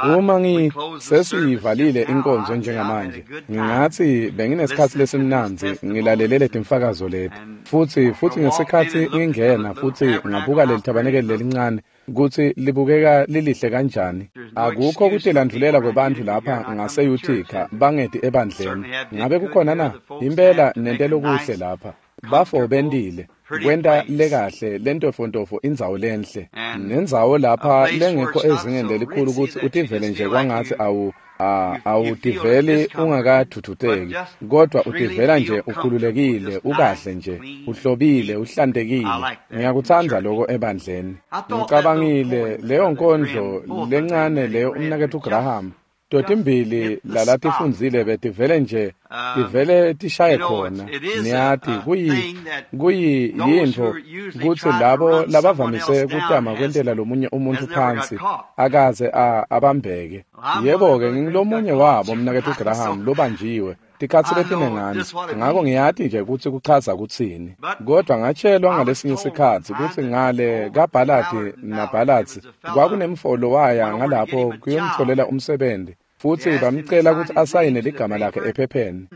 Uma sesiyivalile inkonzo njengamanje, ngingathi benginesikhathi lesimnandzi ngilalele letimfakazo leti. Futhi ngesikhathi ngingena futhi ngabuka leli thabanekeli lelincane kutsi libukeka lilihle kanjani. Akukho kutilandvulela kwebantfu lapha ngase-Utica bangeti ebandleni. Ngabe kukhona na? Impela nente lokuhle lapha. Bafo bentile kwenta lekahle lentofontofo indzawo lenhle nendzawo lapha lengekho ezingeni lelikhulu kutsi utivele nje kwangatsi awutiveli ungakathuthuteki, kodwa utivela nje ukhululekile, ukahle nje, uhlobile, uhlantekile. Ngiyakutsandza lokho ebandleni. Ngicabangile leyo nkondlo lencane leyo umnaketfu Graham totimbili lalatifundzile betivele nje tivele tishaye khona. Niyati kuyintfo kutsi labo labavamise kutama kwentela lomunye umuntfu phansi akaze abambeke. Yebo-ke, ngingulomunye wabo mnaketfu Graham lobanjiwe tikhatsi letinengana, ngako ngiyati nje kutsi kuchaza kutsini. Kodwa ngatshelwa ngalesinye sikhatsi kutsi ngale kaBhaladi naBhaladzi kwakunemfolo waya ngalapho kuyomtfolela umsebenti, futsi bamcela kutsi asayine ligama lakhe ephepheni.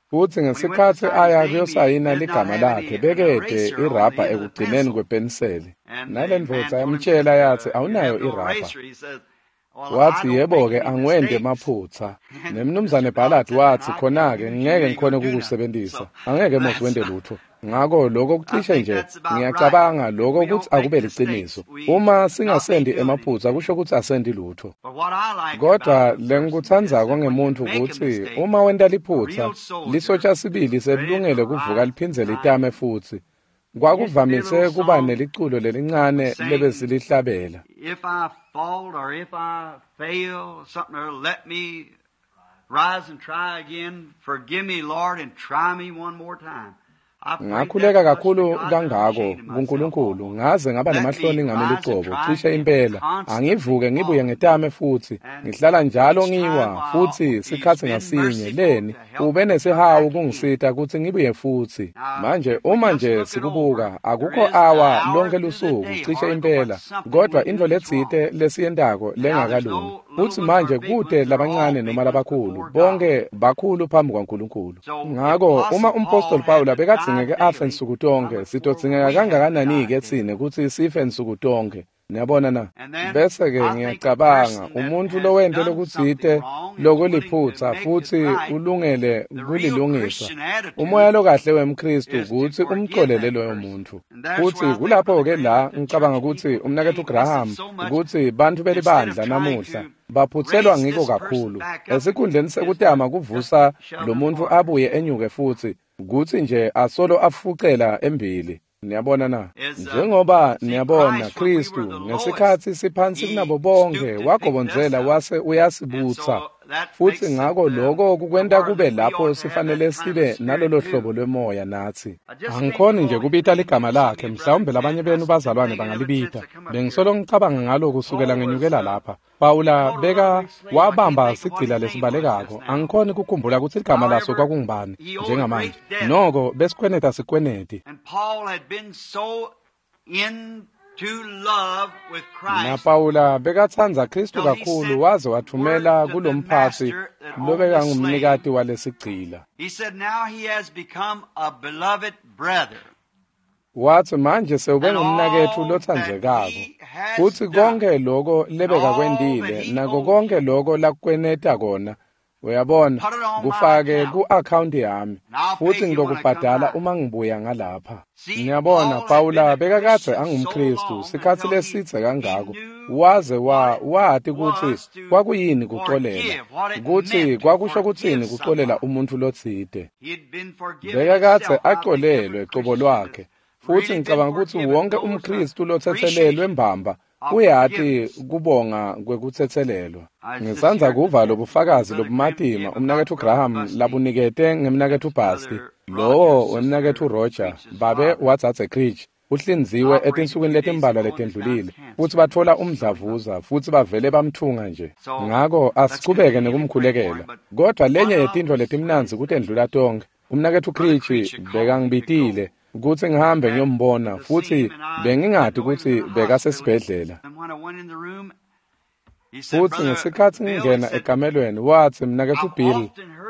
Futsi ngesikhatsi aya kuyosayina ligama lakhe, bekede irabha ekugcineni kwepeniseli. Nale ndvodza yamtshela yatsi, awunayo irabha. Watsi, yebo-ke, angiwenti emaphutsa. Nemnumzane Ballard watsi, khona-ke ngeke ngikhone kukusebentisa. Angeke mos wente lutho. Ngako lokho kucishe nje, ngiyacabanga lokho kutsi akube liciniso. Uma singasendi emaphutsa kusho kutsi asendi lutho. Kodwa lengikutsandzako ngemuntfu kutsi uma wenta liphutsa, lisotsha sibili selilungele kuvuka liphindze litame futsi. Kwakuvamise kuba neliculo lelincane lebesilihlabela. If I fall or if I fail, something or let me rise and try again. Forgive me, Lord, and try me one more time. Ngakhuleka kakhulu kangako kuNkulunkulu ngaze ngaba nemahloni ngami lucobo, cishe impela angivuke ngibuye ngetame futsi. Ngihlala njalo ngiwa futsi sikhatsi ngasinye leni ube nesihawu kungisita kutsi ngibuye futsi. Manje uma nje sikubuka akukho awa lonke lusuku cishe impela, kodwa intfo letsite lesiyentako lengakalungi. Futsi manje kute labancane noma labakhulu, bonke bakhulu phambi kwaNkulunkulu. Ngako uma umpostoli Pawula bekadzingeke afe nsuku tonke, sitodzingeka kangakanani-ke tsine kutsi sife nsuku tonke? Niyabona na? Bese-ke ngiyacabanga umuntfu lowente lokutsite lokuliphutsa futsi ulungele kulilungisa, umoya lokahle wemKhristu kutsi umcolele loyo muntfu. Futsi kulapho-ke la ngicabanga kutsi umnaketfu Graham kutsi bantfu belibandla namuhla baphutselwa ngiko kakhulu. Esikhundleni sekutama kuvusa lo muntfu abuye enyuke futsi, kutsi nje asolo afucela embili. Niyabona na? Njengoba niyabona Khristu ngesikhatsi siphansi kunabo bonke wagobondzela wase uyasibutsa. Futsi ngako lokho kukwenta kube lapho sifanele sibe nalolo hlobo lwemoya natsi. Angikhoni nje kubita ligama lakhe, mhlawumbe labanye benu bazalwane bangalibita. Bengisolo ngicabanga ngalo kusukela ngenyukela lapha. Pawula beka wabamba sigcila lesibalekako. Angikhoni kukhumbula kutsi ligama laso kwakungubani njengamanje. Noko besikhweneta sikweneti. Na Pawula bekatsandza Khristu kakhulu waze wathumela kulomphatsi lobekangumnikati walesigcila. Watsi manje sewube ngumnaketfu lotsandzekako, futsi konke loko lebekakwentile nako konke loko lakweneta kona, uyabona, kufake ku-akhawunti yami, futsi ngitokubhadala uma ngibuya ngalapha. Ngiyabona Pawula bekakadze angumKhristu sikhatsi lesidze kangako, waze wati kutsi kwakuyini kucolela, kutsi kwakusho kutsini kucolela umuntfu lotsite. Bekakadze acolelwe cobo lwakhe. Futsi ngicabanga kutsi wonke umKhristu lotsetselelwe mbamba uyati kubonga kwekutsetselelwa. Ngisandza kuva lobufakazi lobumatima umnaketfu Graham labunikete ngemnaketfu Basti, lowo wemnaketfu Roger, babe wadzadze Creech, uhlinziwe etinsukwini letimbalwa letendlulile, futsi batfola umdlavuza futsi bavele bamthunga nje. Ngako asichubeke nekumkhulekela. Kodwa lenye yetintfo letimnandzi kutendlula tonke, umnaketfu Creech bekangibitile kutsi ngihambe ngiyombona, futsi bengingati kutsi bekasesibhedlela. Futsi ngesikhatsi ngingena ekamelweni, watsi, Mnaketfu Bill,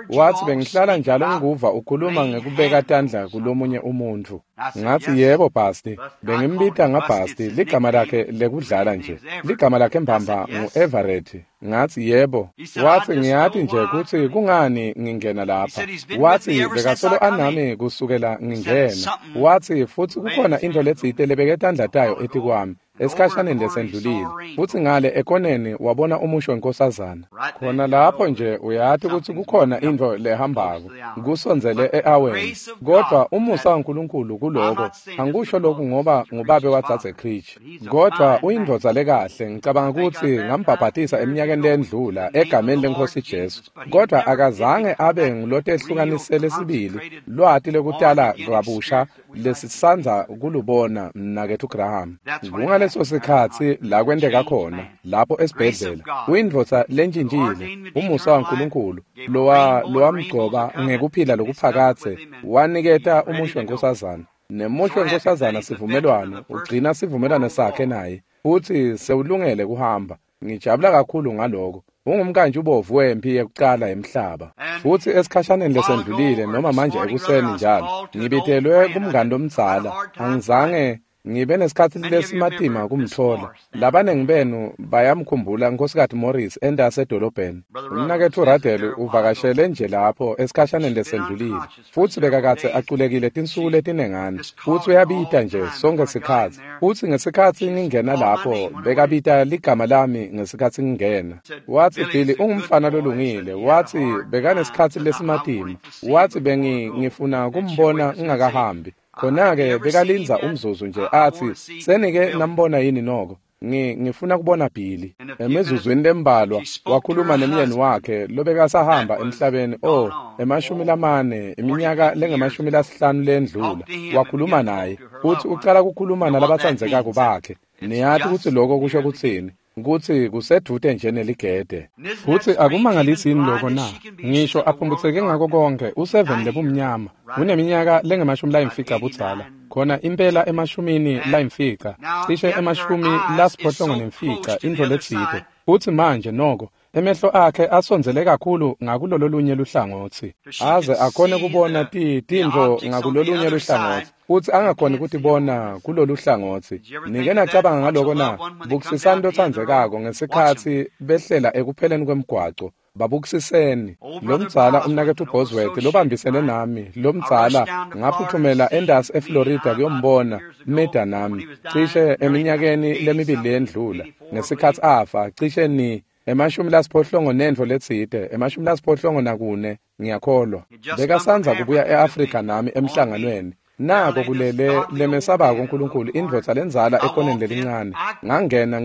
watsi bengihlala njalo ngikuva ukhuluma ngekubeka tandla kulomunye umuntfu. Ngatsi, yebo, Basti. Bengimbita ngaBasti, ligama lakhe lekudlala nje. Ligama lakhe mbamba ngu-Everett. Ngatsi, yebo. Watsi, ngiyati nje kutsi kungani ngingena lapha. Watsi, bekasolo anami kusukela ngingena. Watsi, futsi kukhona intfo letsite lebeke tandla tayo etikwami esikhashaneni lesendlulile. Futsi ngale ekoneni wabona umusho wenkosazana. Khona lapho nje uyati kutsi kukhona intfo lehambako kusondzele e-aweni. Kodvwa umusa waNkulunkulu kuloko, angikusho lokhu ngoba ngubabe wadzadze Creech, kodvwa uyindvodza lekahle. Ngicabanga kutsi ngambhabhatisa eminyakeni lendlula egameni leNkhosi Jesu, kodvwa akazange abe ngulotehlukanisele sibili lwati lekutala kabusha lesisandza kulubona, mnaketfu Graham. Kungaleso sikhatsi la kwenteka khona lapho esibhedlela. Uyindvodza lentshintshile. Umusa waNkulunkulu lowamgcoba ngekuphila lokuphakadze waniketa umusho wenkosazana, nemusho wenkosazana sivumelwano, ugcina sivumelwano sakhe naye, futsi sewulungele kuhamba. Ngijabula kakhulu ngaloko. Ungumkantshi ubovu wemphi yekucala yemhlaba. Futsi esikhashaneni lesendlulile, noma manje ekuseni njalo, ngibitelwe kumngani lomdzala. Angizange ngibe nesikhatsi lesimatima kumtfola. Labanengi benu bayamkhumbula Nkhosikati Morris entasi edolobheni. Umnaketfu Radel uvakashele nje lapho esikhashaneni lesendlulile, futsi bekakadze aculekile tinsuku letinengana, futsi uyabita nje sonke sikhatsi. Futsi ngesikhatsi ngingena lapho, bekabita ligama lami ngesikhatsi ngingena. Watsi, Billy ungumfana lolungile. Watsi bekanesikhatsi lesimatima. Watsi ngifuna kumbona ngingakahambi. Khona-ke bekalindza umzuzu nje atsi, senike nambona yini noko? Ngifuna kubona Billy. Emizuzwini lembalwa wakhuluma nemyeni wakhe lobekasahamba emhlabeni, 40, iminyaka lengama-50 lendlula. Wakhuluma naye, futsi ucala kukhuluma nalabatsandzekako bakhe. Niyati kutsi lokho kusho kutsini? Kutsi kusedvute nje neligede. Futsi akumangalisi yini loko na? Ngisho aphumbutseke ngako konke, u7 lebumnyama, uneminyaka lengama-50 budzala, khona impela 90, cishe 85, intfo letsite. Futsi manje noko emehlo akhe asondzele kakhulu ngakulololunye luhlangotsi, aze akhone kubona tintfo ngakulolunye luhlangotsi, futsi angakhoni kutibona kulolu hlangotsi. Nike nacabanga ngaloko na? Bukisisani lotsandzekako ngesikhatsi behlela ekupheleni kwemgwaco. Babukisiseni. Lomdzala umnaketfu Bosworth lobambisene nami, lomdzala, ngaphuthumela entasi eFlorida kuyombona Meda nami, cishe eminyakeni lemibili lendlula, ngesikhatsi afa, cishe ni 80 nentfo letsite, 84, ngiyakholwa. Bekasandza kubuya e-Afrika nami emhlanganweni. Nako kulele lemesabako uNkulunkulu, indvodza lendzala ekoneni lelincane. Ngangena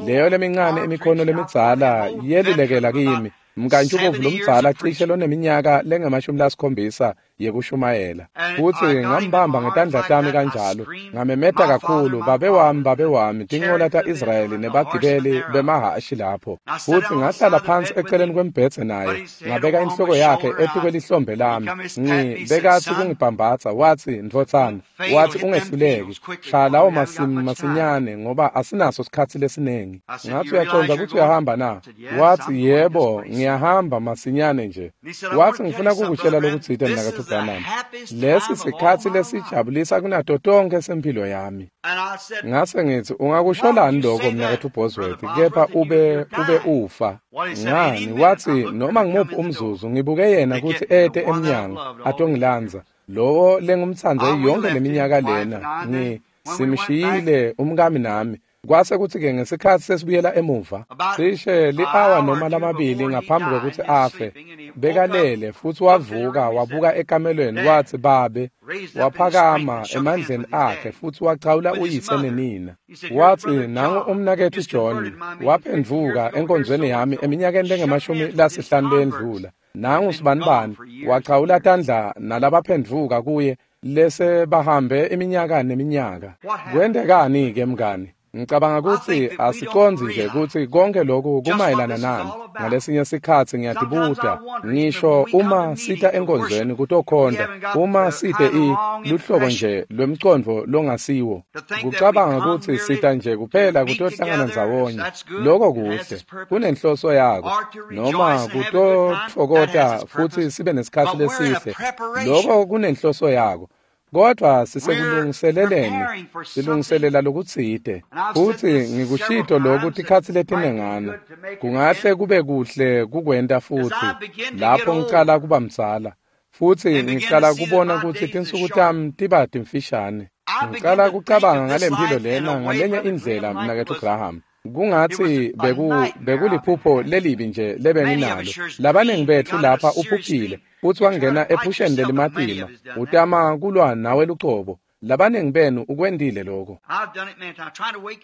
leyo lemincane imikhono lemidzala yelulekela kimi. Mkantshi ubovu lomdzala cishe loneminyaka lengama-70 yekushumayela. Futsi ngambamba ngetandla tami kanjalo, ngamemeta kakhulu, babe wami, babe wami, tinqola ta-Israyeli nebagibeli bemahhashi lapho. Futsi ngahlala phansi eceleni kwembhedze naye, ngabeka inhloko yakhe etikwelihlombe lami. Bekatsi kungibhambatsa, watsi, ndvodzana, watsi ungehluleki, shaya lawo masimu masinyane ngoba asinaso sikhatsi lesiningi. Ngathi uyacondza kutsi uyahamba na? Watsi, yebo, ngiyahamba masinyane nje. Watsi, ngifuna kukutshela lokutsite mnaketfu Branham. Lesi sikhatsi lesijabulisa kunato tonke sempilo yami. Ngase ngithi, ungakusholani lokho mnaketfu Bosworth, kepha ube ufa. Ngani? Watsi, noma ngimuphi umzuzu ngibuke yena kutsi ete emnyango atongilandza. Lowo lengumtsandze yonke leminyaka lena, simshiyile umkami nami. Kwase kutsi-ke ngesikhatsi sesibuyela emuva, cishe li-awa noma lamabili ngaphambi kwekutsi afe, bekalele futsi wavuka wabuka ekamelweni, watsi, babe, waphakama emandleni akhe futsi wachawula uyise nenina. Watsi, nangu umnaketfu John, waphendvuka enkonzweni yami eminyakeni lengama-50 lendlula. Nangu sibanibani, wachawula tandla nalabaphendvuka kuye lese bahambe iminyaka neminyaka. Kwentekani-ke mngani? Ngicabanga kutsi asicondzi nje kutsi konke lokhu kumayelana nani. Ngalesinye sikhatsi ngiyatibuta, ngisho uma sita enkonzweni kutokhonta, uma site luhlobo nje lwemcondvo longasiwo. Kucabanga kutsi sita nje kuphela kutohlangana ndzawonye, loko kuhle, kunenhloso yako, noma kutotfokota futsi sibe nesikhatsi lesihle, loko kunenhloso yako. Kodwa sisekulungiseleleni, silungiselela lokutsite. Futsi ngikushito lokhu tikhatsi letinengana. Kungahle kube kuhle kukwenta futsi lapho ngicala kuba mdzala. Futsi ngicala kubona kutsi tinsuku tami tiba timfishane. Ngicala kucabanga ngalempilo lena ngalenye indlela, mnaketfu Graham. Kungatsi bekuliphupho lelibi nje lebenginalo. Labaningi betfu lapha uphuphile futsi wangena ephusheni lelimatima, utama kulwa nawe lucobo. Labaningi benu ukwentile lokho.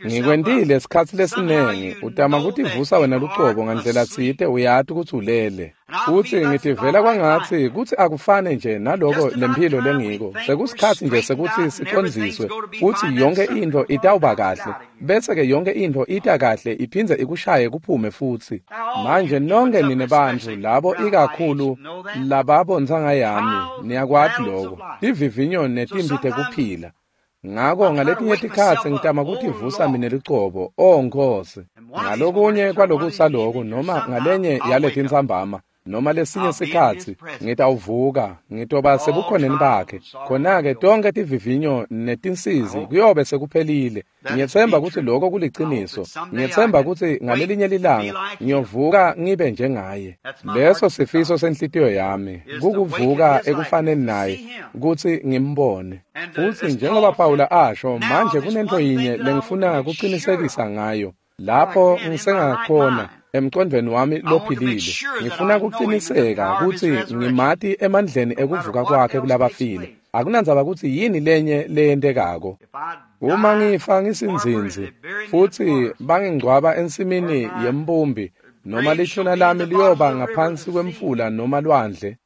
Ngikwentile sikhatsi lesiningi, utama kutivusa wena lucobo ngandlela tsite, uyati kutsi ulele. Futsi ngitivela kwangatsi kutsi akufane nje naloko lemphilo lengiko. Sekusikhatsi nje sekuthi sicondziswe futsi yonke intfo itawuba kahle. Bese-ke yonke intfo ita kahle iphindze ikushaye kuphume futsi. Manje nonke nine bantfu labo ikakhulu lababontsanga yami niyakwati loko. Tivivinyo netimpi tekuphila. Ngako ngaletinye tikhatsi ngitama kutivusa mine lucobo, O Nkhosi. Ngalokunye kwalokusa loku noma ngalenye yaletintsambama noma lesinye sikhatsi ngitawuvuka, ngitoba sebukhoneni bakhe. Khona-ke tonke tivivinyo netinsizi kuyobe sekuphelile. Ngiyetsemba kutsi loko kuliciniso. Ngiyetsemba kutsi ngalelinye lilanga ngiyovuka ngibe njengaye. Leso sifiso senhlitiyo yami, kukuvuka ekufaneni naye, kutsi ngimbone. Futsi njengoba Pawula asho, manje kunento yinye lengifuna kucinisekisa ngayo. Lapho ngisengakhona emcondvweni wami lophilile, ngifuna kuciniseka kutsi ngimati emandleni ekuvuka kwakhe kulabafile. Akunandzaba kutsi yini lenye leyentekako. Uma ngifa ngisinzinzi futsi bangingcwaba ensimini yembumbi, noma lithuna lami liyoba ngaphansi kwemfula noma lwandle,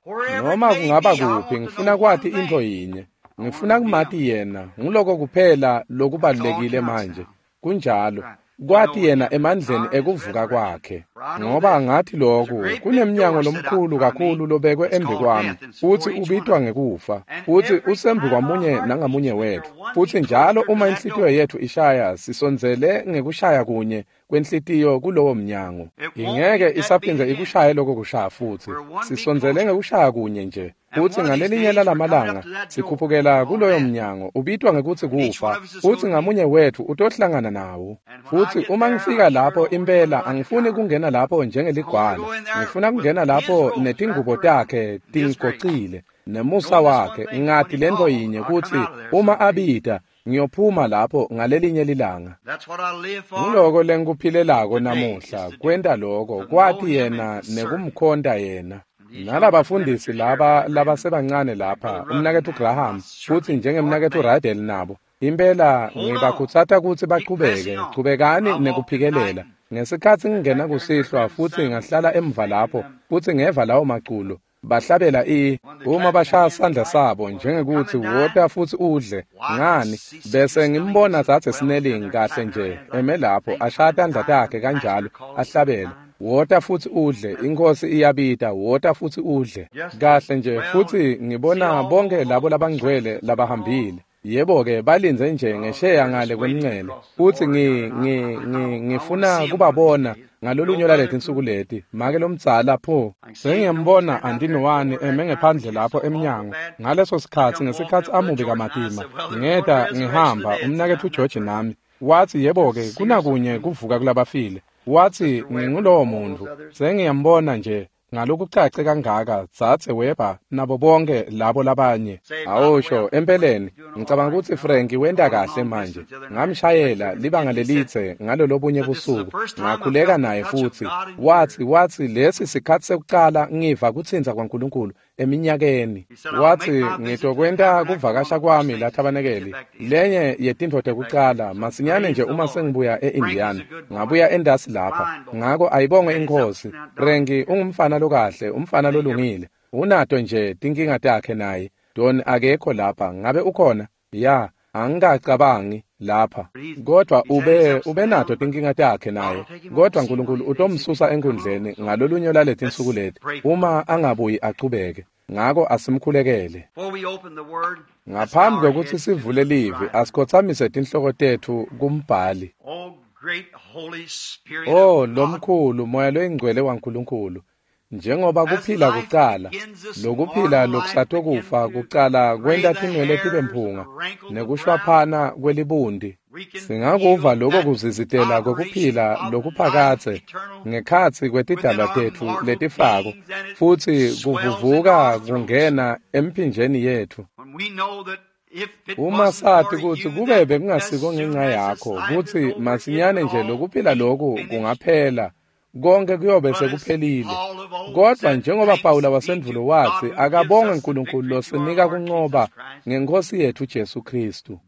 noma kungaba kuphi, ngifuna kwati intfo yinye. Ngifuna kumati yena, nguloko kuphela lokubalulekile manje. Kunjalo. Kwati yena emandleni ekuvuka kwakhe. Ngoba ngathi lokhu, kunemnyango lomkhulu kakhulu lobekwe embi kwami, futsi ubitwa ngekufa, futsi usembi kwamunye nangamunye wetfu. Futsi njalo uma inhlitiyo yetfu ishaya, sisondzele ngekushaya kunye kwenhlitiyo kulowo mnyango. Ingeke isaphindze ikushaye lokho kushaya futsi. Sisondzele ngekushaya kunye nje. Futsi ngalelinye lalamalanga sikhuphukela kuloyo mnyango ubitwa ngekutsi kufa, futsi ngamunye wetfu utohlangana nawo. Futsi uma ngifika lapho impela angifuni kungena lapho njengeligwala. Ngifuna kungena lapho netingubo takhe tingigocile nemusa wakhe. Ngati lento yinye kutsi uma abita ngiyophuma lapho ngalelinye lilanga. Ngiloko lengikuphilelako namuhla, kwenta loko, kwati yena nekumkhonta yena. Nalabafundisi laba labasebancane lapha, umnaketfu Graham futsi njengemnaketfu Radel nabo, impela ngibakhutsata kutsi bachubeke, chubekani nekuphikelela. Ngesikhatsi ngingena kusihlwa futsi ngahlala emva lapho futsi ngeva lawo maculo, bahlabela uma bashaya sandla sabo njengekuthi wota futsi udle, ngani bese ngimbona dzadze Snelling kahle nje eme lapho ashaya tandla takhe kanjalo ahlabela, wota futsi udle, iNkhosi iyabita, wota futsi udle. Kahle nje futsi ngibona bonke labo labangcwele labahambile. Yebo-ke balindze nje ngesheya ngale kwemncele, futsi ngifuna kubabona ngalolunye lwaletinsuku leti. Make lomdzala pho sengiyambona Antinowani eme ngephandle lapho emnyango ngaleso sikhatsi, ngesikhatsi amubi kamatima. Ngeta ngihamba umnaketfu George nami. Watsi yebo-ke kunakunye kuvuka kulabafile. Watsi ngingulowo muntfu. Sengiyambona nje ngalokucace kangaka dzadze Weber nabo bonke labo labanye. Awusho empeleni ngicabanga kutsi Frank wenta kahle manje. Ngamshayela libanga lelitse ngalolobunye busuku, ngakhuleka naye futsi. Watsi lesi sikhatsi sekucala ngiva kutsintsa kwaNkulunkulu eminyakeni. Watsi ngitokwenta kuvakasha kwami la thabanekeli, lenye yetintfo tekucala masinyane nje uma sengibuya e-Indiana. Ngabuya endasi lapha. Ngako ayibongwe iNkhosi. Frank ungumfana lokahle, umfana lolungile. Unato nje tinkinga takhe naye. Don akekho lapha, ngabe ukhona? Ya, angikacabangi. lapha. Kodwa ubenato tinkinga takhe naye. Kodwa uNkulunkulu utomsusa enkundleni ngalolunye lwaletinsuku leti uma angabuyi achubeke. Ngako asimkhulekele. Ngaphambi kwekutsi sivule livi, asikhotsamise tinhloko tetfu kumbhali. Oh, lomkhulu Moya loyingcwele waNkulunkulu, njengoba kuphila kucala, lokuphila lokusatokufa kucala kwenta tinwele tibe mphunga nekushwaphana kwelibundi. Singakuva lokho kuzizitela kwekuphila lokuphakadze ngekhatsi kwetidalwa tetfu letifako, futsi kuvuvuka kungena emphinjeni yetfu. Uma sati kutsi kube bekungasiko ngenxa yakho kutsi masinyane nje lokuphila loku kungaphela, konke kuyobe sekuphelile. Kodwa njengoba Pawula wasendvulo watsi, akabonge uNkulunkulu losinika kuncoba ngenkosi yetfu Jesu Kristu.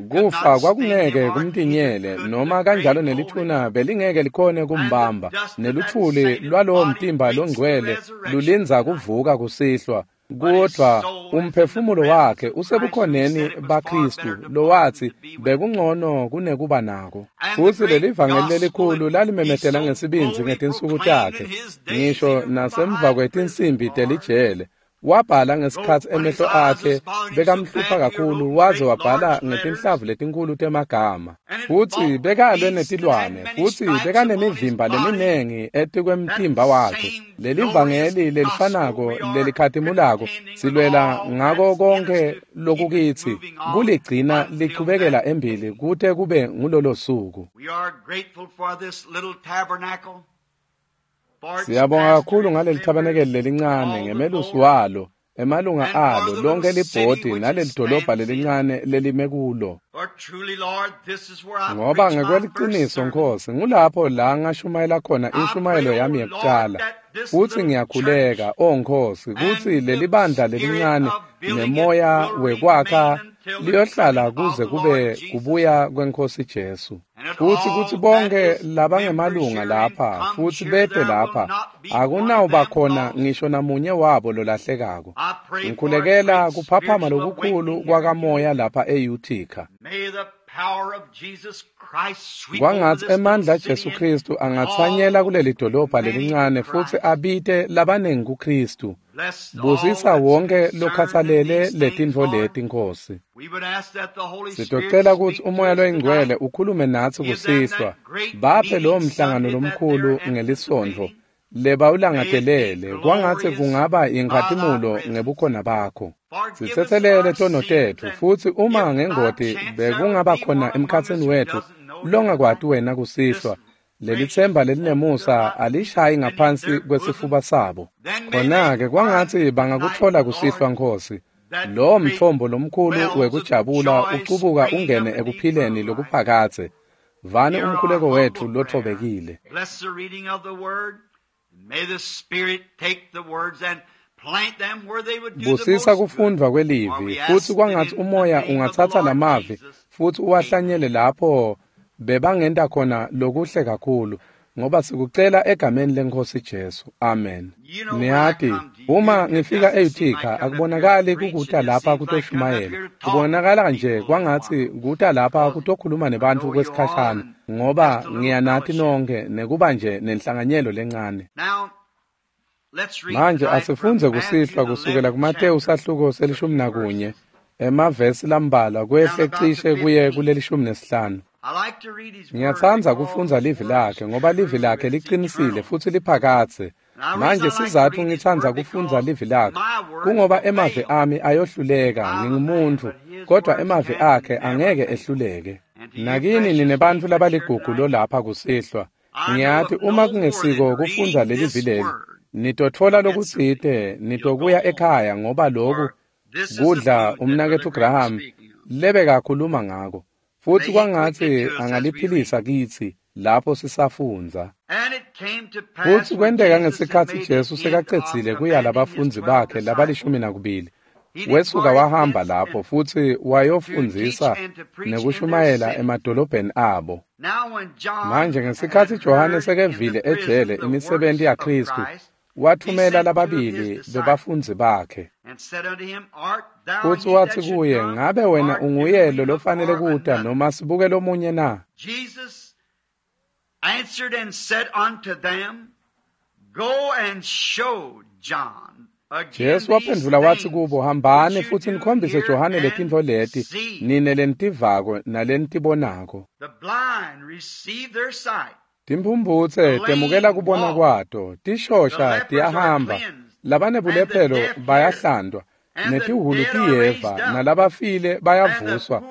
Kufa kwakungeke kumtinyele, noma kanjalo nelithuna belingeke likhone kumbamba, neluthuli lwalowo mtimba longcwele lulindza kuvuka kusihlwa. Kodwa umphefumulo wakhe usebukhoneni baKristu lowathi bekungcono kunekuba nako. Futsi lelivangeli lelikhulu lalimemetela ngesibindzi ngetinsuku takhe, ngisho nasemva kwetinsimbi telijele. Wabhala ngesikhatsi emehlo akhe bekamhlupha kakhulu, waze wabhala ngetinhlavu letinkulu temagama. Futsi bekalwe netilwane, futsi bekanemivimba leminengi etikwemtimba wakhe. Lelivangeli lelifanako lelikhatimulako silwela ngako konke lokukitsi kuligcina lichubekela embili kute kube ngulolo suku. Siyabonga kakhulu ngaleli thabanekeli lelincane ngemelusi walo, emalunga alo, lonke libhodi nalelidolobha lelincane lelime kulo. Ngoba ngekweliciniso Nkosi, ngulapho la ngashumayela khona inshumayelo yami yekucala. Futsi ngiyakhuleka, O Nkosi, kutsi lelibandla lelincane nemoya wekwakha liyohlala kuze kube kubuya kweNkosi Jesu. Futsi kutsi bonke labangemalunga lapha futsi bete lapha, akunawuba khona ngisho namunye wabo lolahlekako. Ngikhulekela kuphaphama lokukhulu kwakamoya lapha eUtica. Kwangatsi emandla aJesu Kristu angatsanyela kuleli dolobha lelincane futsi abite labanengi kuKristu. Busisa wonke lokhatsalele letintfo leti, Nkosi. Sitocela kutsi uMoya loyiNgcwele ukhulume natsi kusihlwa. Baphe lowo mhlangano lomkhulu ngelisontfo lebawulangatelele, kwangatsi kungaba inkhatimulo ngebukhona bakho. Sitsetselele tono tetfu, futsi uma ngengoti bekungaba khona emkhatsini wetfu longakwati wena kusihlwa, lelitsemba lelinemusa alishayi ngaphansi kwesifuba sabo. Khona-ke kwangatsi bangakutfola kusihlwa, Nkosi, lowo mtfombo lomkhulu wekujabula ucubuka ungene ekuphileni lokuphakadze. Vani umkhuleko wetfu lotfobekile. Busisa kufundvwa kwelivi, futsi kwangatsi umoya ungatsatsa lamavi futsi uwahlanyele lapho bebangenta khona lokuhle kakhulu, ngoba sikucela egameni leNkosi Jesu. Amen. Niyati, uma ngifika eUtica akubonakali kukuta lapha kutoshumayela. Kubonakala nje kwangatsi kuta lapha kutokhuluma nebantfu kwesikhashana, ngoba ngiyanati nonke nekuba nje nenhlanganyelo lencane. Manje asifundze kusihlwa kusukela kuMateyu sahluko se-11, emavesi lambalwa kwehle cishe kuye kuleli-15. Ngiyatsandza kufundza livi lakhe ngoba livi lakhe liqinisile futsi liphakadze. Manje sizatfu ngitsandza kufundza livi lakhe kungoba emavi ami ayohluleka, ngingumuntfu, kodwa emavi akhe angeke ehluleke. Nakini ninebantfu labaligugu lolapha kusihlwa, ngiyati uma kungesiko kufundza lelivi leli, nitotfola lokutsite, nitokuya ekhaya ngoba loku kudla umnaketfu Graham lebekakhuluma ngako. Futsi kwangatsi angaliphilisa kitsi lapho sisafundza. Futsi kwenteka ngesikhatsi Jesu sekacedzile kuya labafundzi bakhe labali-12, wesuka wahamba lapho futsi wayofundzisa nekushumayela emadolobheni abo. Manje ngesikhatsi Johane sekevile ejele imisebenti yaKristu, Wathumela lababili bebafundzi bakhe. Futsi watsi kuye, ngabe wena unguye lo lofanele kuta noma sibuke lomunye na? Jesus answered and said unto them, Go and show John. Jesu waphendvula watsi kubo, hambani futsi nikhombise Johane letintfo leti, nine lenitivako nalenitibonako. The blind receive their sight. Timphumphutse temukela kubona kwato, tishosha tiyahamba, labanebulephelo bayahlantwa, netihhulu tiyeva, nalabafile bayavuswa,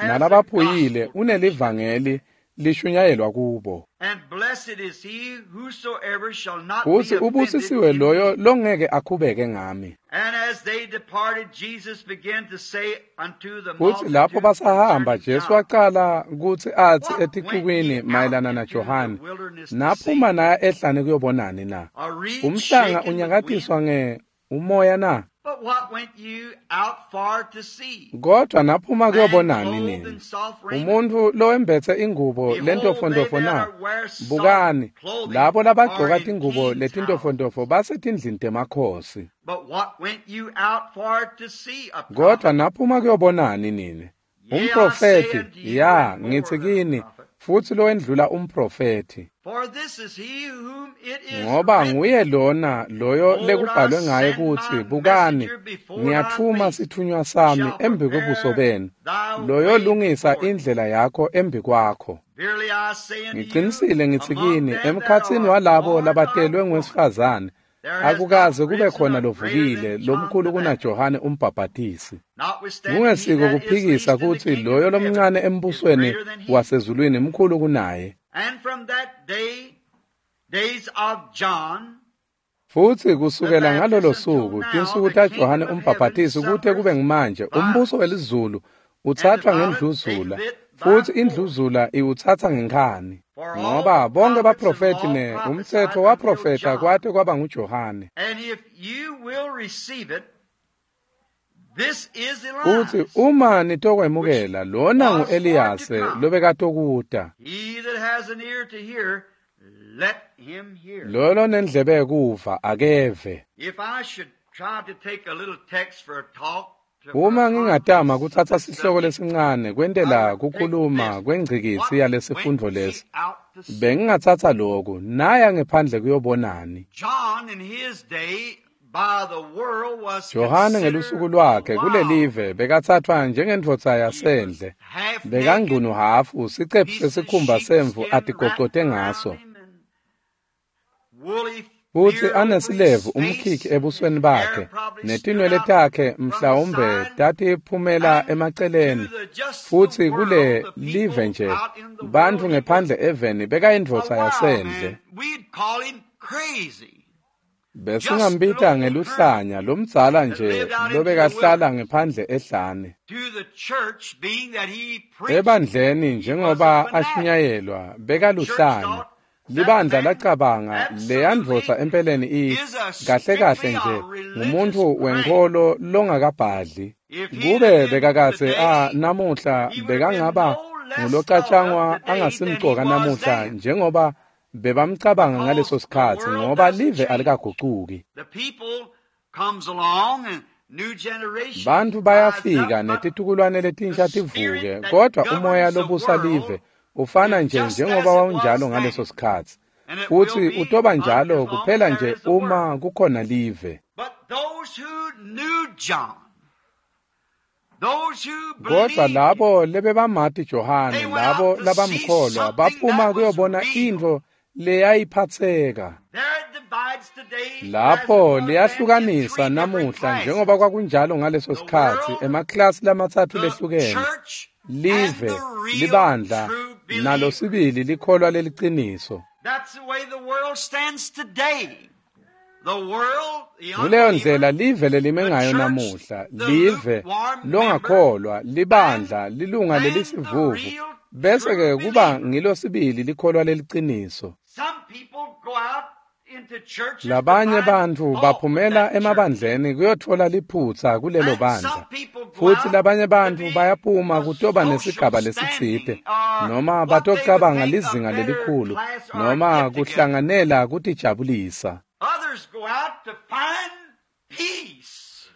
nalabaphuyile unelivangeli lishunyayelwa kubo. And blessed is he whosoever shall not Futsi be offended ubusisiwe in loyo me. longeke akhubeke ngami. And as they departed, Jesus began to say unto the Futsi lapho multitude basahamba concerning Jesu John, waqala kutsi atsi What etixukwini went ye out mayelana na into the Johane, wilderness to naphuma see? naya ehlane kuyobonani na? A reed Umhlanga shaken with unyakatiswa wind? nge umoya na? But what went you out for to see? Kodwa naphuma Man kuyobonani clothed nini? in soft raiment? Umuntfu lowembetse ingubo Behold, they lentofontofo that na? are wear soft Bukani, clothing labo are labagcoka in tingubo kings' houses. letintofontofo basetindlini temakhosi. But what went you out for to see? A Kodwa prophet? naphuma kuyobonani nini? Yea, I say Umprofethi, unto you, ya, and more ngitsi than a kini, prophet. futsi lowendlula umprofethi. For this is he whom it is Ngoba written, nguye lona loyo Behold, I lekubhalwe ngaye send kutsi, my bukani, messenger before thy ngiyathuma face, sithunywa sami shall embi kwebuso prepare benu, thy loyo way lungisa before thee. indlela yakho embi kwakho. Verily I say unto you, Ngiqinisile ngithi among kini, them that emkhatsini are walabo born of labatelwe woman, ngowesifazane, there has not akukaze kube risen khona a greater lovukile than John lomkhulu the Baptist. kunaJohane umbhabhatisi. Notwithstanding, he Kungesiko that is kuphikisa least in the kutsi kingdom loyo of heaven lomncane is embusweni greater than he. wasezulwini mkhulu kunaye. And from that day, days of John Futsi the kusukela ngalolo Baptist until suku, now, tinsuku the taJohane kingdom of heaven umbhabhatisi kute suffereth kube ngumanje, umbuso violence, welizulu and the uthathwa violent ngendluzula, taketh it by futsi force. indluzula iwutsatsa ngenkhani. For all Ngoba the bonke prophets and baprofethi law ne prophesied umtsetfo until waprofetha John. kwate kwaba nguJohane. And if you will receive it, this is Futsi Elias, uma which nitokwemukela, lona was for to ngu-Eliyase come. lobekatokuta. He that has an ear to hear, let him hear. Loyo lonendlebe yekuva akeve. If I should try to take a little text for a talk, for a Uma ngingatama context of kutsatsa this sihloko subject, lesincane I kwentela would take kukhuluma this. kwengcikitsi What went yalesifundvo ye lesi, out to see? bengingatsatsa loku, naya ngephandle kuyobonani. John in his day by the world was Johane ngelusuku considered lwakhe wild. kulelive bekatsathwa njengendvodza He was yasendle. half naked, Bekangcunu hafu, sicephu piece of sesikhumba semvu sheepskin wrapped atigocote around ngaso. him and woolly Futsi beard over his anesilevu face, umkhikhi and ebusweni his hair bakhe, probably stood netinwele out takhe from the mhlawumbe side. tatiphumela And emaceleni. to the just the Futsi kule world, the live people nje, out in the bantfu world, he was ngephandle eveni a bekayindvodza wild yasendle. man. We'd call him crazy. Just an Besingambita old hermit ngeluhlanya lomdzala that nje lived out into the lobekahlala wilderness. ngephandle ehlane. To the church, being that he preached, Ebandleni he was a njengoba fanatic. ashunyayelwa The church bekaluhlanya. thought that Libandla man lacabanga leyandvodza absolutely empeleni i is a kahle kahle strictly a nje religious ngumuntu crank. wenkholo longakabhadli. If he'd have Kube been bekakatse a today, namuhla he would have been bekangaba no less thought of ngulocatshangwa today than he angasimcoka was namuhla then. njengoba bebamcabanga ngaleso Because the sikhatsi world ngoba doesn't live change. alikagucuki. The people comes along and new generations Bantfu rise up, bayafika but netitukulwane the letinsha tivuke, spirit that kodwa umoya governs the lobusa live world ufana is nje just njengoba as it was wawunjalo ngaleso then. sikhatsi. And it will Futsi be utoba njalo as long as kuphela there nje is a world. uma kukhona live. But those who knew John, those who Kodwa believed him, labo lebebamati Johane, they went out labo to see labamkholwa, something baphuma that was kuyobona real. intfo leyayiphatseka. There it divides today as it Lapho was then in liyahlukanisa three different namuhla njengoba classes. kwakunjalo ngaleso The sikhatsi world, emaklasi lamatsatfu the lehlukene. church, and Live, the real libandla, true nalo believer. sibili likholwa leliciniso. That's the way the world stands today. The world, the Nguleyo unbeliever, ndlela live lelime the ngayo church, namuhla, the live lukewarm member, longakholwa, and libandla, lilunga then the lelisivuvu, real bese true ke kuba believer. ngilo sibili likholwa leliciniso. Some people go out into churches to Labanye find bantfu fault with baphumela that church. emabandleni kuyotfola liphutsa kulelo And bandla. some people go Futsi out labanye to bantfu be bayaphuma a kutoba social nesigaba lesitsite standing or noma what they would batocabanga think a lizinga better lelikhulu class or a noma get together. kuhlanganela kutijabulisa. Others Others go out to find peace.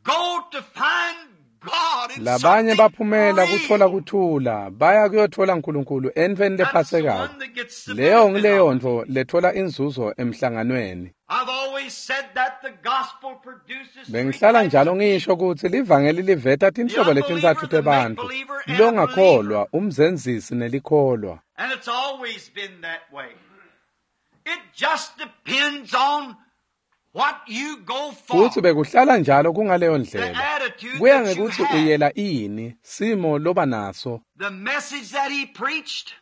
Go to find God in Labanye something baphumela kutfola real. kuthula, baya kuyotfola Nkulunkulu entfweni That's the lephatsekako. one that gets the Leyo benefit of nguleyo it. ntfo letfola inzuzo emhlanganweni. I've always said that the gospel produces three Bengihlala types njalo of ngisho people. kutsi livangeli liveta The tinhlobo unbeliever, letintsatfu the tebantfu, make-believer, and a believer. longakholwa, umzenzisi nelikholwa. And it's always been that way. It just depends on what you go Futsi for, bekuhlala njalo kungaleyo the ndlela. attitude Kuya that you ngekutsi have, uyela ini, simo loba naso. the message that he preached.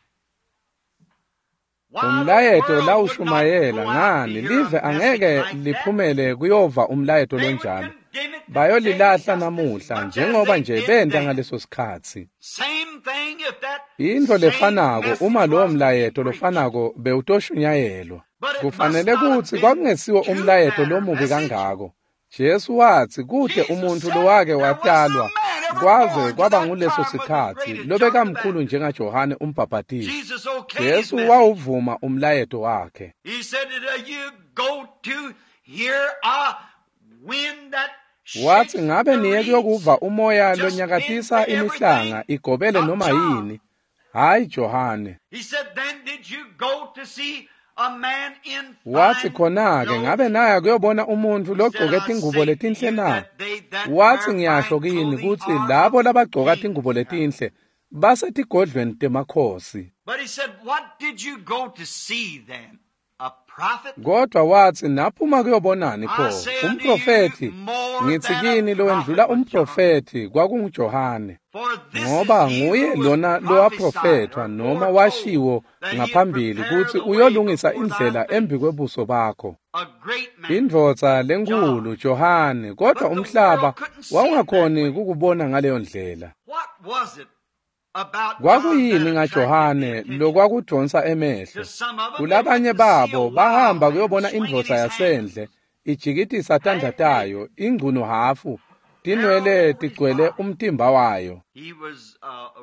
Why, the Umlayeto world would not lawushumayela go out to ngani hear live a message angeke like that. liphumele kuyova umlayeto They would lonjalo. condemn it today Bayolilahla just as namuhla much as njengoba they nje did benta then. ngaleso sikhatsi. Same thing if that Intfo same lefanako message uma lowo was to be mlayeto preached. lofanako bewutoshunyayelwa. But it must Kufanele not have kutsi been kwakungesiwo too umlayeto bad a lomubi message. kangako. Jesu watsi kute Jesus umuntfu said lowake there was no watalwa man ever kwaze born to kwaba that nguleso time was as sikhatsi great as John the lobekamkhulu Baptist. njengaJohane umbhabhatisi. Jesus okayed his Jesu message. wawuvuma umlayeto wakhe. He said, "Did you go to hear a wind that Watsi shakes ngabe the niye reeds? kuyokuva umoya Just bends lonyakatisa imihlanga everything? igobele Not noma John." yini. Hayi Johane. He said, "Then did you go to see a man in Watsi fine khona-ke ngabe clothes?" naya kuyobona umuntfu He said, logcoke "I tingubo say to letinhle you na? that they that Watsi wear ngiyasho fine kini clothing kutsi are labo of labagcoka tingubo kings. letinhle basetigodlweni temakhosi. But he said, "What did you go to see then? A prophet? Kodwa watsi naphuma kuyobonani I pho? say unto you, Umprofethi. more Ngitsi than a kini lowendlula prophet was John. umprofethi kwakunguJohane. For this is Ngoba he nguye who was lona prophesied lowaprofethwa or noma foretold washiwo that he'd ngaphambili prepare kutsi the way uyolungisa before thy indlela face. embikwebuso bakho. A great man, Indvodza John. lenkhulu Johane, kodwa But the umhlaba world couldn't see it that wawungakhoni way. kukubona ngaleyo ndlela. What was it about John that Kwakuyini attracted the ngaJohane attention? lokwakudonsa emehlo? To some of them, they went Kulabanye to see a babo wild bahamba man kuyobona swinging indvodza his hands, yasendle ijikitisa tandla half naked, tayo, ingcunu hafu, hair all tinwele over his tigcwele body. umtimba wayo. He was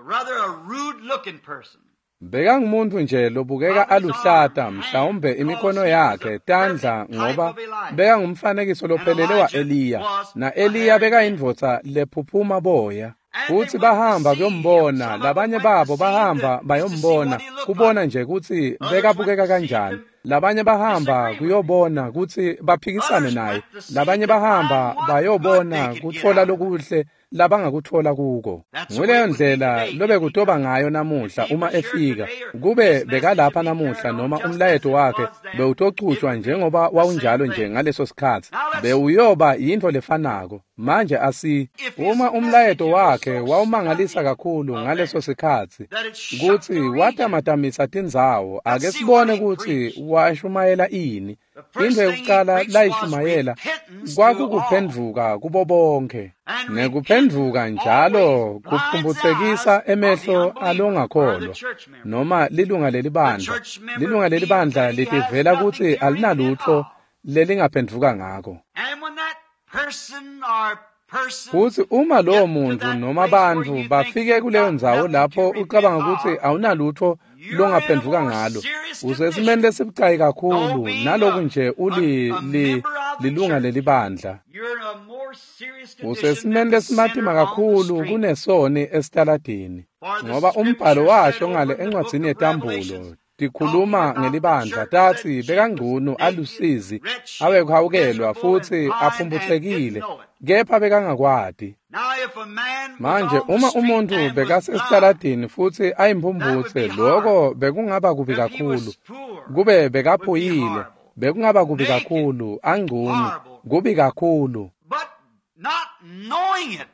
rather a rude-looking person. Bekangumuntfu nje lobukeka Of his arm, aluhlata, hand, mhlawumbe because imikhono he was a yakhe, tandla perfect type ngoba of Elijah. bekangumfanekiso And lophelele Elijah wa-Eliya, was na a Eliya hairy man. bekayindvodza lephuphuma boya. And they Futsi went to bahamba see him. kuyombona, Some of them labanye went to babo see the bahamba just to see bayombona, what he looked kubona like. nje kutsi Others went bekabukeka to see kanjani. to Labanye bahamba disagree with him. kuyobona kutsi baphikisane Others naye, went to see labanye to find bahamba what good they bayobona could get kutfola out of it. lokuhle labangakutfola kuko. That's the way Nguleyo it would be ndlela today if he lobekutoba come. ngayo If namuhla he uma was here efika. today, or Kube his message bekalapha would be namuhla carried on noma just as umlayeto it wakhe was then, it bewutochutjwa would be njengoba the same wawunjalo nje thing. ngaleso sikhatsi, Now let's bewuyoba yintfo lefanako. Manje asi if his uma message umlayeto was wakhe so wawumangalisa stunning kakhulu of ngaleso them sikhatsi that it shook kutsi the region. watamatamisa tindzawo, ake Let's see what sibone he kutsi preached. washumayela ini. The first Intfo thing he yekucala preached was layishumayela repentance to all. kwakukuphendvuka kubo bonkhe. And Nekuphendvuka repentance njalo always blinds the kuphumphutsekisa eyes of the emehlo unbeliever or the alongakholwa church member. noma lilunga The lelibandla. church member Lilunga feels lelibandla that he has litivela nothing kutsi to repent alinalutfo of. lelingaphendvuka ngako. And when that person or persons Futsi uma lowo get to muntfu that noma place where bantfu you think bafike you've kuleyo got ndzawo nothing to lapho repent ucabanga kutsi of, awunalutfo you're in a longaphendvuka more ngalo, serious usesimeni condition. lesibucayi Though kakhulu being naloku nje uli a li, member of the lilunga church, lelibandla. you're in a more serious condition Usesimeni than the lesimatima sinner on the kakhulu street. kunesoni esitaladini. For the Ngoba umbhalo scripture said washo over ngale in the book encwadzini of yeTambulo Revelations, talking tikhuluma about the ngelibandla church, that tatsi she was bekangcunu naked, alusizi wretched, awekuhawukelwa miserable, and futsi blind, and didn't aphumphutsekile know it. kepha bekangakwati. Now, if a man was Manje on the uma street umuntu and was blind, bekasesitaladini futsi that would ayimphumputse be loko horrible. bekungaba kubi If he kakhulu. was poor, Kube would be bekaphuyile horrible. bekungaba kubi Naked, kakhulu, angcunu, horrible. kubi kakhulu. But not knowing it,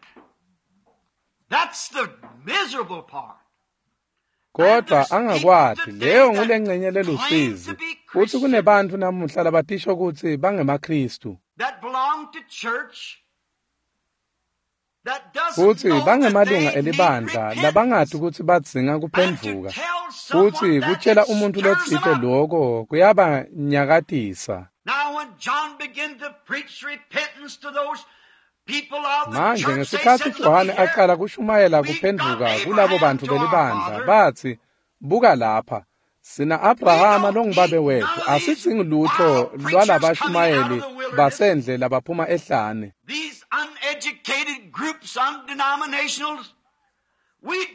that's the miserable part. And Kodwa there's people angakwati, today leyo that ngulengcenye claim to lelusizi. be Futsi Christians, kunebantfu namuhla labatisho kutsi bangemaKhristu that belong to church, that doesn't futsi know that bangemalunga they need elibandla labangati repentance. kutsi badzinga And to kuphendvuka. tell Futsi someone that kutjela it umuntfu stirs them lotsite up. loko kuyabanyakatisa. Now, when John began to preach repentance to those people of the Manje church, they ngesikhatsi said, Looky Johane here, aqala kushumayela we've got kuphendvuka kulabo Abraham bantfu to our belibandla father. batsi, buka lapha, Sina Abrahama longubabe wethu, asidzingi lutho lwalabashumayeli basendle labaphuma ehlane.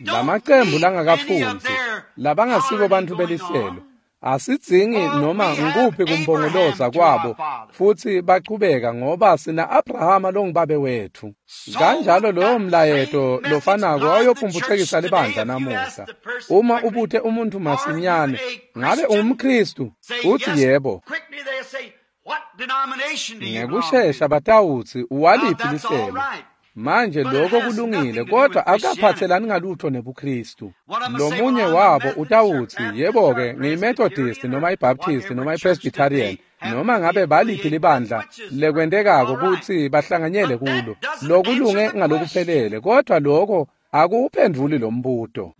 Lamacembu langakafundzi, labangasibo bantfu belihlelo, asidzingi noma ngukuphi kumpongoloza kwabo futsi bachubeka ngoba sina Abrahama longubabe wethu. Kanjalo lowo mlayeto lofanako wawuyophumphutsekisa libandla namuhla. Uma ubuthe umuntfu masinyane, ngabe ungumKhristu? Uthi yebo. Ngekushesha batawutsi uwaliphi lihlelo. Manje lokho kulungile, kodwa akukaphathelani ngalutho nebuKristu. Lomunye wabo utawutsi, yebo-ke, ngiyiMethodist noma iBaptist noma iPresbyterian, noma ngabe baliphi libandla lekwentekako kutsi bahlanganyele kulo. Lokulunge ngalokuphelele, kodwa lokho akuwuphendvuli lo mbuto.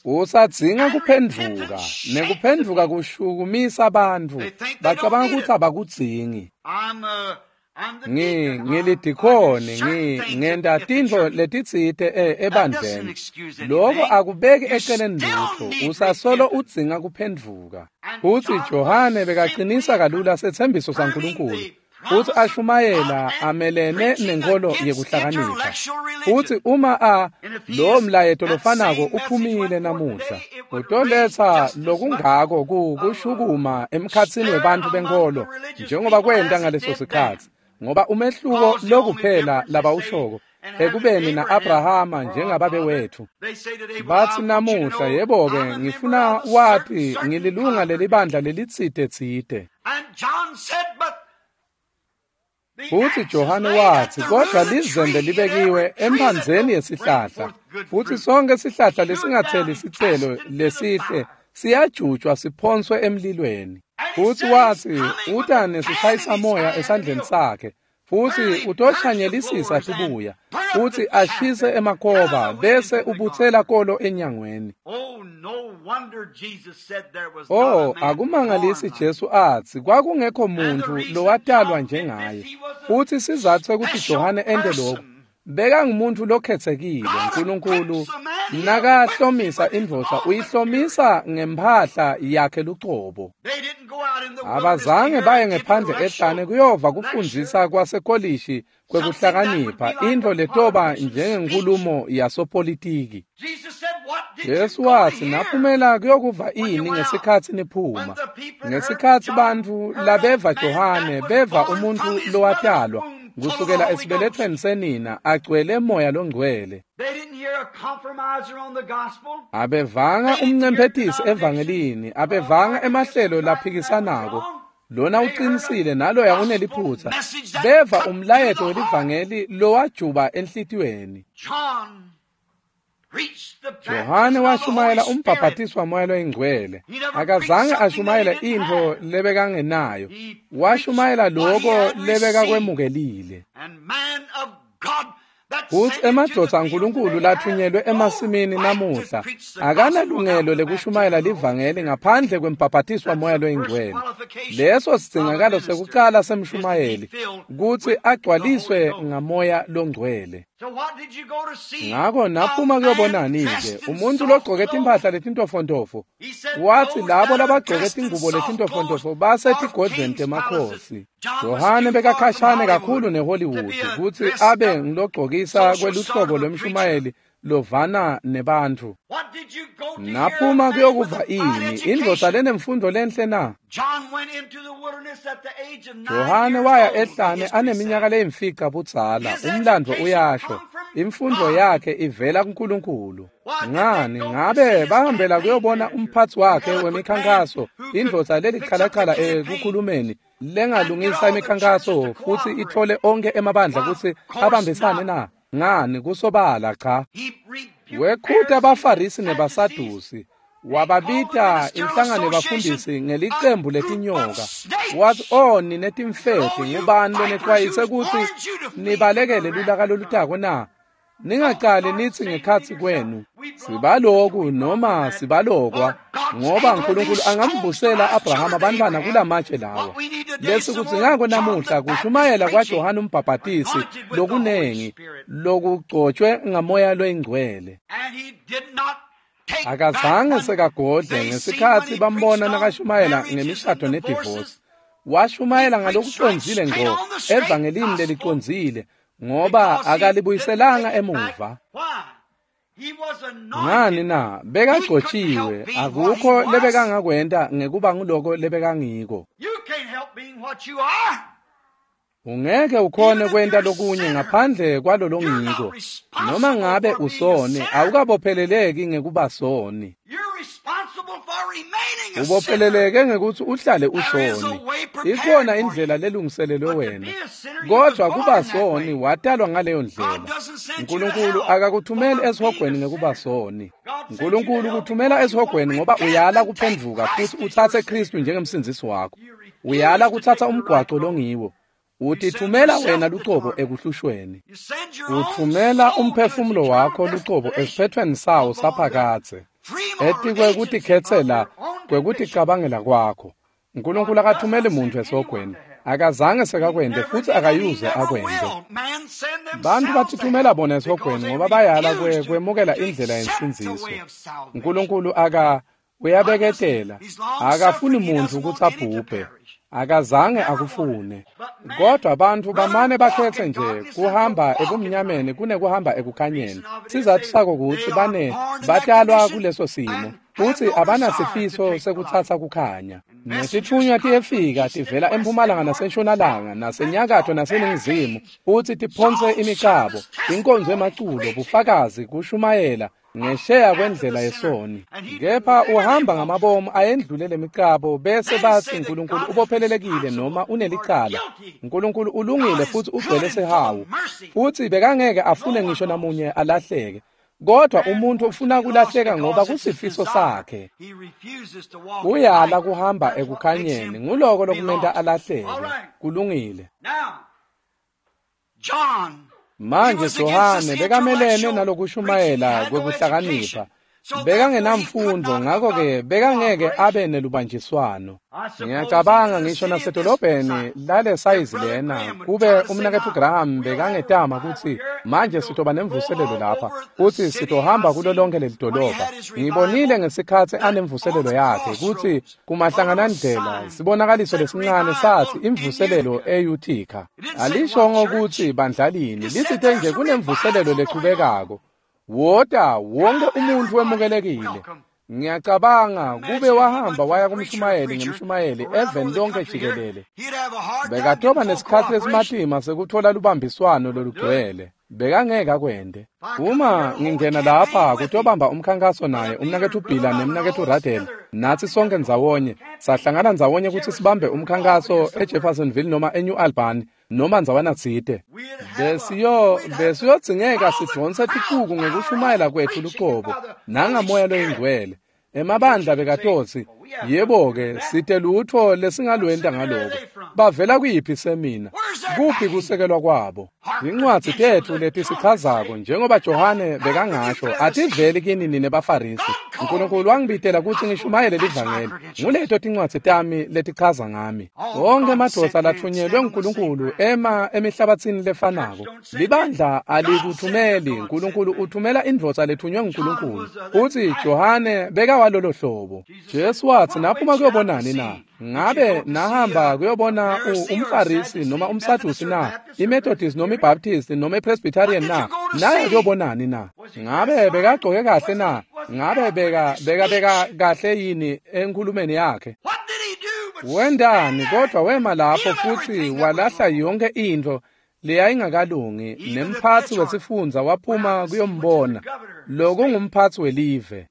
Usadzinga kuphendvuka, nekuphendvuka kushukumisa abantu. Bacabanga kutsi abakudzingi. Ngilidikhoni, ngenta tintfo letitsite ebandleni. Lokho akubeki eceleni lutho, usasolo udzinga kuphendvuka. Futsi Johane bekacinisa kalula setsembiso saNkulunkulu, futsi ashumayela amelene nenkolo yekuhlakanipha. Futsi uma lowo mlayeto lofanako uphumile namuhla, utoletsa lokungako kushukuma emkhatsini webantfu benkolo njengoba kwenta ngaleso sikhatsi. Ngoba umehluko lokuphela labawushoko ekubeni na-Abrahama njengababe wethu. Batsi namuhla, yebo-ke, ngifuna wati ngililunga lelibandla lelitsite-tsite. Futsi Johane watsi, kodwa lizembe libekiwe emphandzeni yesihlahla, futsi sonke sihlahla lesingatseli sitselo lesihle siyajutjwa siphonswe emlilweni. Futsi watsi, uta nesishayisamoya esandleni sakhe, futsi utoshwanyelisisa tibuya, futsi ashise emakhoba bese ubutsela kolo enyangweni. Oh, akumangalisi Jesu atsi kwakungekho muntfu lowatalwa njengaye. Futsi sizatfu sekuthi Johane ente lokhu, bekangumuntu lokhetsekile. uNkulunkulu nakahlomisa indvodza uyihlomisa ngemphahla yakhe lucobo. Abazange baye ngephandle ehlane kuyova kufundzisa kwasekolishi kwekuhlakanipha, intfo letoba njengenkulumo yasopolitiki. Jesu watsi, naphumela kuyokuva ini ngesikhatsi niphuma? Ngesikhatsi bantfu labeva Johane beva umuntfu lowatalwa kusukela esibelethweni senina agcwele moya longcwele. Abevanga umncemphetisi evangelini, abevanga emahlelo laphikisanako. Lona uqinisile naloya uneliphutsa. Beva umlayeto welivangeli lowajuba enhlitiyweni. Johane washumayela umbhabhatiso wamoya loyingcwele. Akazange ashumayele intfo lebekangenayo. Washumayela loko lebekakwemukelile. Futsi emadvodza aNkulunkulu lathunyelwe emasimini namuhla akanalungelo lekushumayela livangeli ngaphandle kwembhabhatiso wamoya loyingcwele. Leso sidzingakalo sekucala semshumayeli kutsi agcwaliswe ngamoya longcwele. Ngako naphuma kuyobonani-ke umuntfu logcoke timphahla letintofontofo? Watsi labo labagcoke tingubo letintofontofo basetigodlweni temakhosi. Johane bekakhashane kakhulu neHollywood kutsi abe ngilogcokisa kweluhlobo lwemshumayeli lovana nebantfu. Naphuma kuyokuva ini indvodza lenemfundo lenhle na? Johane waya ehlane aneminyaka leyimfica budzala. Umlandvo uyasho imfundo yakhe ivela kuNkulunkulu. Ngani ngabe bahambela kuyobona umphatsi wakhe wemikhankaso, indvodza lelichalachala ekukhulumeni lengalungisa imikhankaso futsi ithole onke emabandla kutsi abambisane na? Ngani kusobala cha. Wekhuta abaFarisi nebaSadusi, wababita inhlangano yabafundisi ngelicembu letinyoka. Wathi, "Oh nine timfeti, ngubani lonexwayise kutsi nibalekele lulaka lolutako na? Ningacali nitsi ngekhatsi kwenu, sibaloku noma sibalokwa, ngoba uNkulunkulu angamvusela Abrahama bantwana kulamatshe lawa." Lesikudzingako namuhla kushumayela kwaJohane umbhabhatisi lokunengi lokugcotshwe ngamoya loyingcwele. Akazange sekagodle ngesikhatsi bambona nakashumayela ngemishado nedivosi. Washumayela ngalokucondzile ngco evangelini lelicondzile, ngoba akalibuyiselanga emuva. Ngani na? Bekagcotshiwe, akukho lebekangakwenta ngekuba nguloko lebekangiko. Ungeke ukhone kwenta lokunye ngaphandle kwalolongiko. Noma ngabe usoni, awukabopheleleki ngekuba soni. Ubopheleleke ngekuthi uhlale usoni. Ikhona indlela lelungiselelwe wena, kodwa kuba soni watalwa ngaleyo ndlela. Nkulunkulu akakuthumeli esihogweni ngekuba soni. Nkulunkulu kuthumela esihogweni ngoba uyala kuphendvuka futhi utsatse Kristu njengemsindzisi wakho. Uyala kutsatsa umgwaco longiwo. Utithumela wena lucobo ekuhlushweni. Uthumela umphefumulo wakho lucobo esiphethweni sawo saphakadze. Etikwe kutikhetsela kwekuticabangela kwakho. Nkulunkulu akathumeli muntu esihogweni. Akazange sekakwente futhi akayuze akwente. Bantu batithumela bona esihogweni ngoba bayala kwemukela indlela yensindziso. Nkulunkulu uyabeketela, akafuni muntu kutsi abhubhe. Akazange akufune. Kodwa abantu bamane bakhethe nje kuhamba ebumnyameni kunekuhamba ekukhanyeni. Sizathu sako kutsi batalwa kuleso simo futhi abanasifiso sekutsatsa kukhanya. Nesitfunywa tiyefika tivela empumalanga nasentshonalanga nasenyakatho naseningizimu futhi tiphonse imicabo, inkonzo emaculo, bufakazi, kushumayela ngesheya kwendlela yesoni. Kepha uhamba ngamabomu ayendlule lemicabo bese bathi Nkulunkulu ubophelelekile noma unelicala. Nkulunkulu ulungile futhi ugcwele sihawu, futhi bekangeke afune ngisho namunye alahleke. Kodwa umuntu ufuna kulahleka ngoba kusifiso sakhe. Uyala kuhamba ekukhanyeni, nguloko lokumenta alahleke. Kulungile. Manje Johane bekamelene nalokushumayela kwekuhlakanipha. Bekangenamfundo, ngakho-ke bekangeke abe nelubanjiswano. Ngiyacabanga ngisho nasedolobheni lale sayizi lena, kube umnaketfu Graham bekangetama kutsi manje sitoba nemvuselelo lapha, kutsi sitohamba kulo lonke leli dolobha. Ngibonile ngesikhatsi anemvuselelo yakhe kutsi kumahlanganandlela sibonakaliso lesincane sathi imvuselelo eUtica. Alishongo kutsi bandlalini, litsite nje kunemvuselelo lechubekako. Wota wonke umuntu wemukelekile. Ngiyacabanga kube wahamba waya kumshumayeli ngemshumayeli eveni lonke jikelele. Bekatoba nesikhatsi lesimatima sekuthola lubambiswano lolugcwele. Bekangeke akwente. Uma ngingena lapha kutobamba umkhankaso naye umnaketfu Bhila nemnaketfu Radel, natsi sonke ndzawonye sahlangana ndzawonye kutsi sibambe umkhankaso eJeffersonville noma eNew Albany noma ndzawana tsite. Besiyodzingeka sidonse ticuku ngekushumayela kwetfu lucobo nangamoya loyingcwele. Emabandla bekatotsi, yebo-ke, site lutfo lesingalwenta ngaloko. Bavela kuyiphi semina? Kuphi kusekelwa kwabo? Incwadzi tetfu letisichazako njengoba Johane bekangasho ativeli kini nine baFarisi. Nkulunkulu wangibitela kutsi ngishumayele livangeli. Nguleto tincwadzi tami letichaza ngami. Wonke emadvodza latfunyelwe nguNkulunkulu ema emihlabatsini lefanako. Libandla alikuthumeli, Nkulunkulu uthumela indvodza lethunywe nguNkulunkulu. Futsi Johane bekawalolo hlobo. Jesu wathi, naphuma kuyobonani na? Ngabe nahamba kuyobona umFarisi noma umSadusi na? IMethodist noma iBaptist noma iPresbyterian na? Naye kuyobonani na? Ngabe bekagcoke kahle na? Ngabe beka kahle yini enkhulumeni yakhe? Wendani kodwa wema lapho futhi walahla yonke into leyayingakalungi, nemphatsi wesifundza waphuma kuyombona. Lokungumphatsi welive.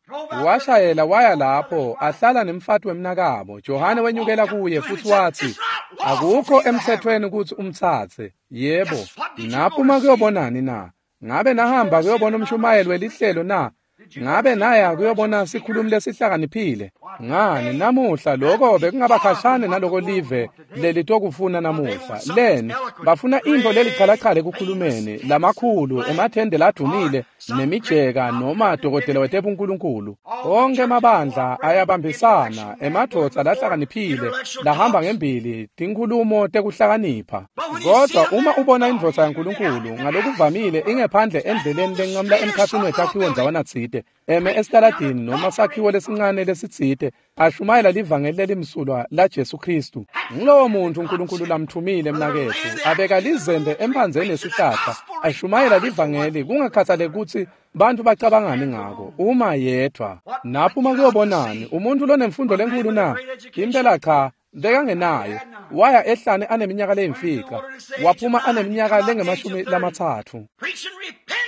Washayela waya lapho ahlala nemfati wemnakabo. Johane wenyukela kuye futhi wathi, akukho emthethweni kutsi umtsatse. Yebo, naphuma kuyobonani na? Ngabe nahamba kuyobona umshumayeli welihlelo na? Ngabe naya kuyobona sikhulumi lesihlakaniphile? Ngani namuhla lokho bekungabakhashane naloko live lelitokufuna namuhla. Leni bafuna into lelichalachale ekukhulumeni, lamakhulu emathende ladumile nemijeka noma dokotela wetebunkulunkulu. Onke emabandla ayabambisana, emadvodza lahlakaniphile lahamba ngembili tinkhulumo tekuhlakanipha. Kodwa uma ubona indvodza yaNkulunkulu ngalokuvamile ingephandle endleleni lenqamula emkhatsini wetakhiwo ndzawana tsite, letsite, eme esitaladini noma sakhiwo lesincane lesitsite, ashumayela livangeli lelimsulwa laJesu Kristu. Ngulowo muntu uNkulunkulu lamthumile mnaketfu, abeka lizembe emphandzeni yesihlahla, ashumayela livangeli kungakhathaleki kutsi bantfu bacabangani ngako, uma yedvwa. Naphuma kuyobonani, umuntu lonemfundo lenkulu na? Impela cha, bekangenayo. Waya ehlane aneminyaka leyimfica, waphuma aneminyaka lengama-30.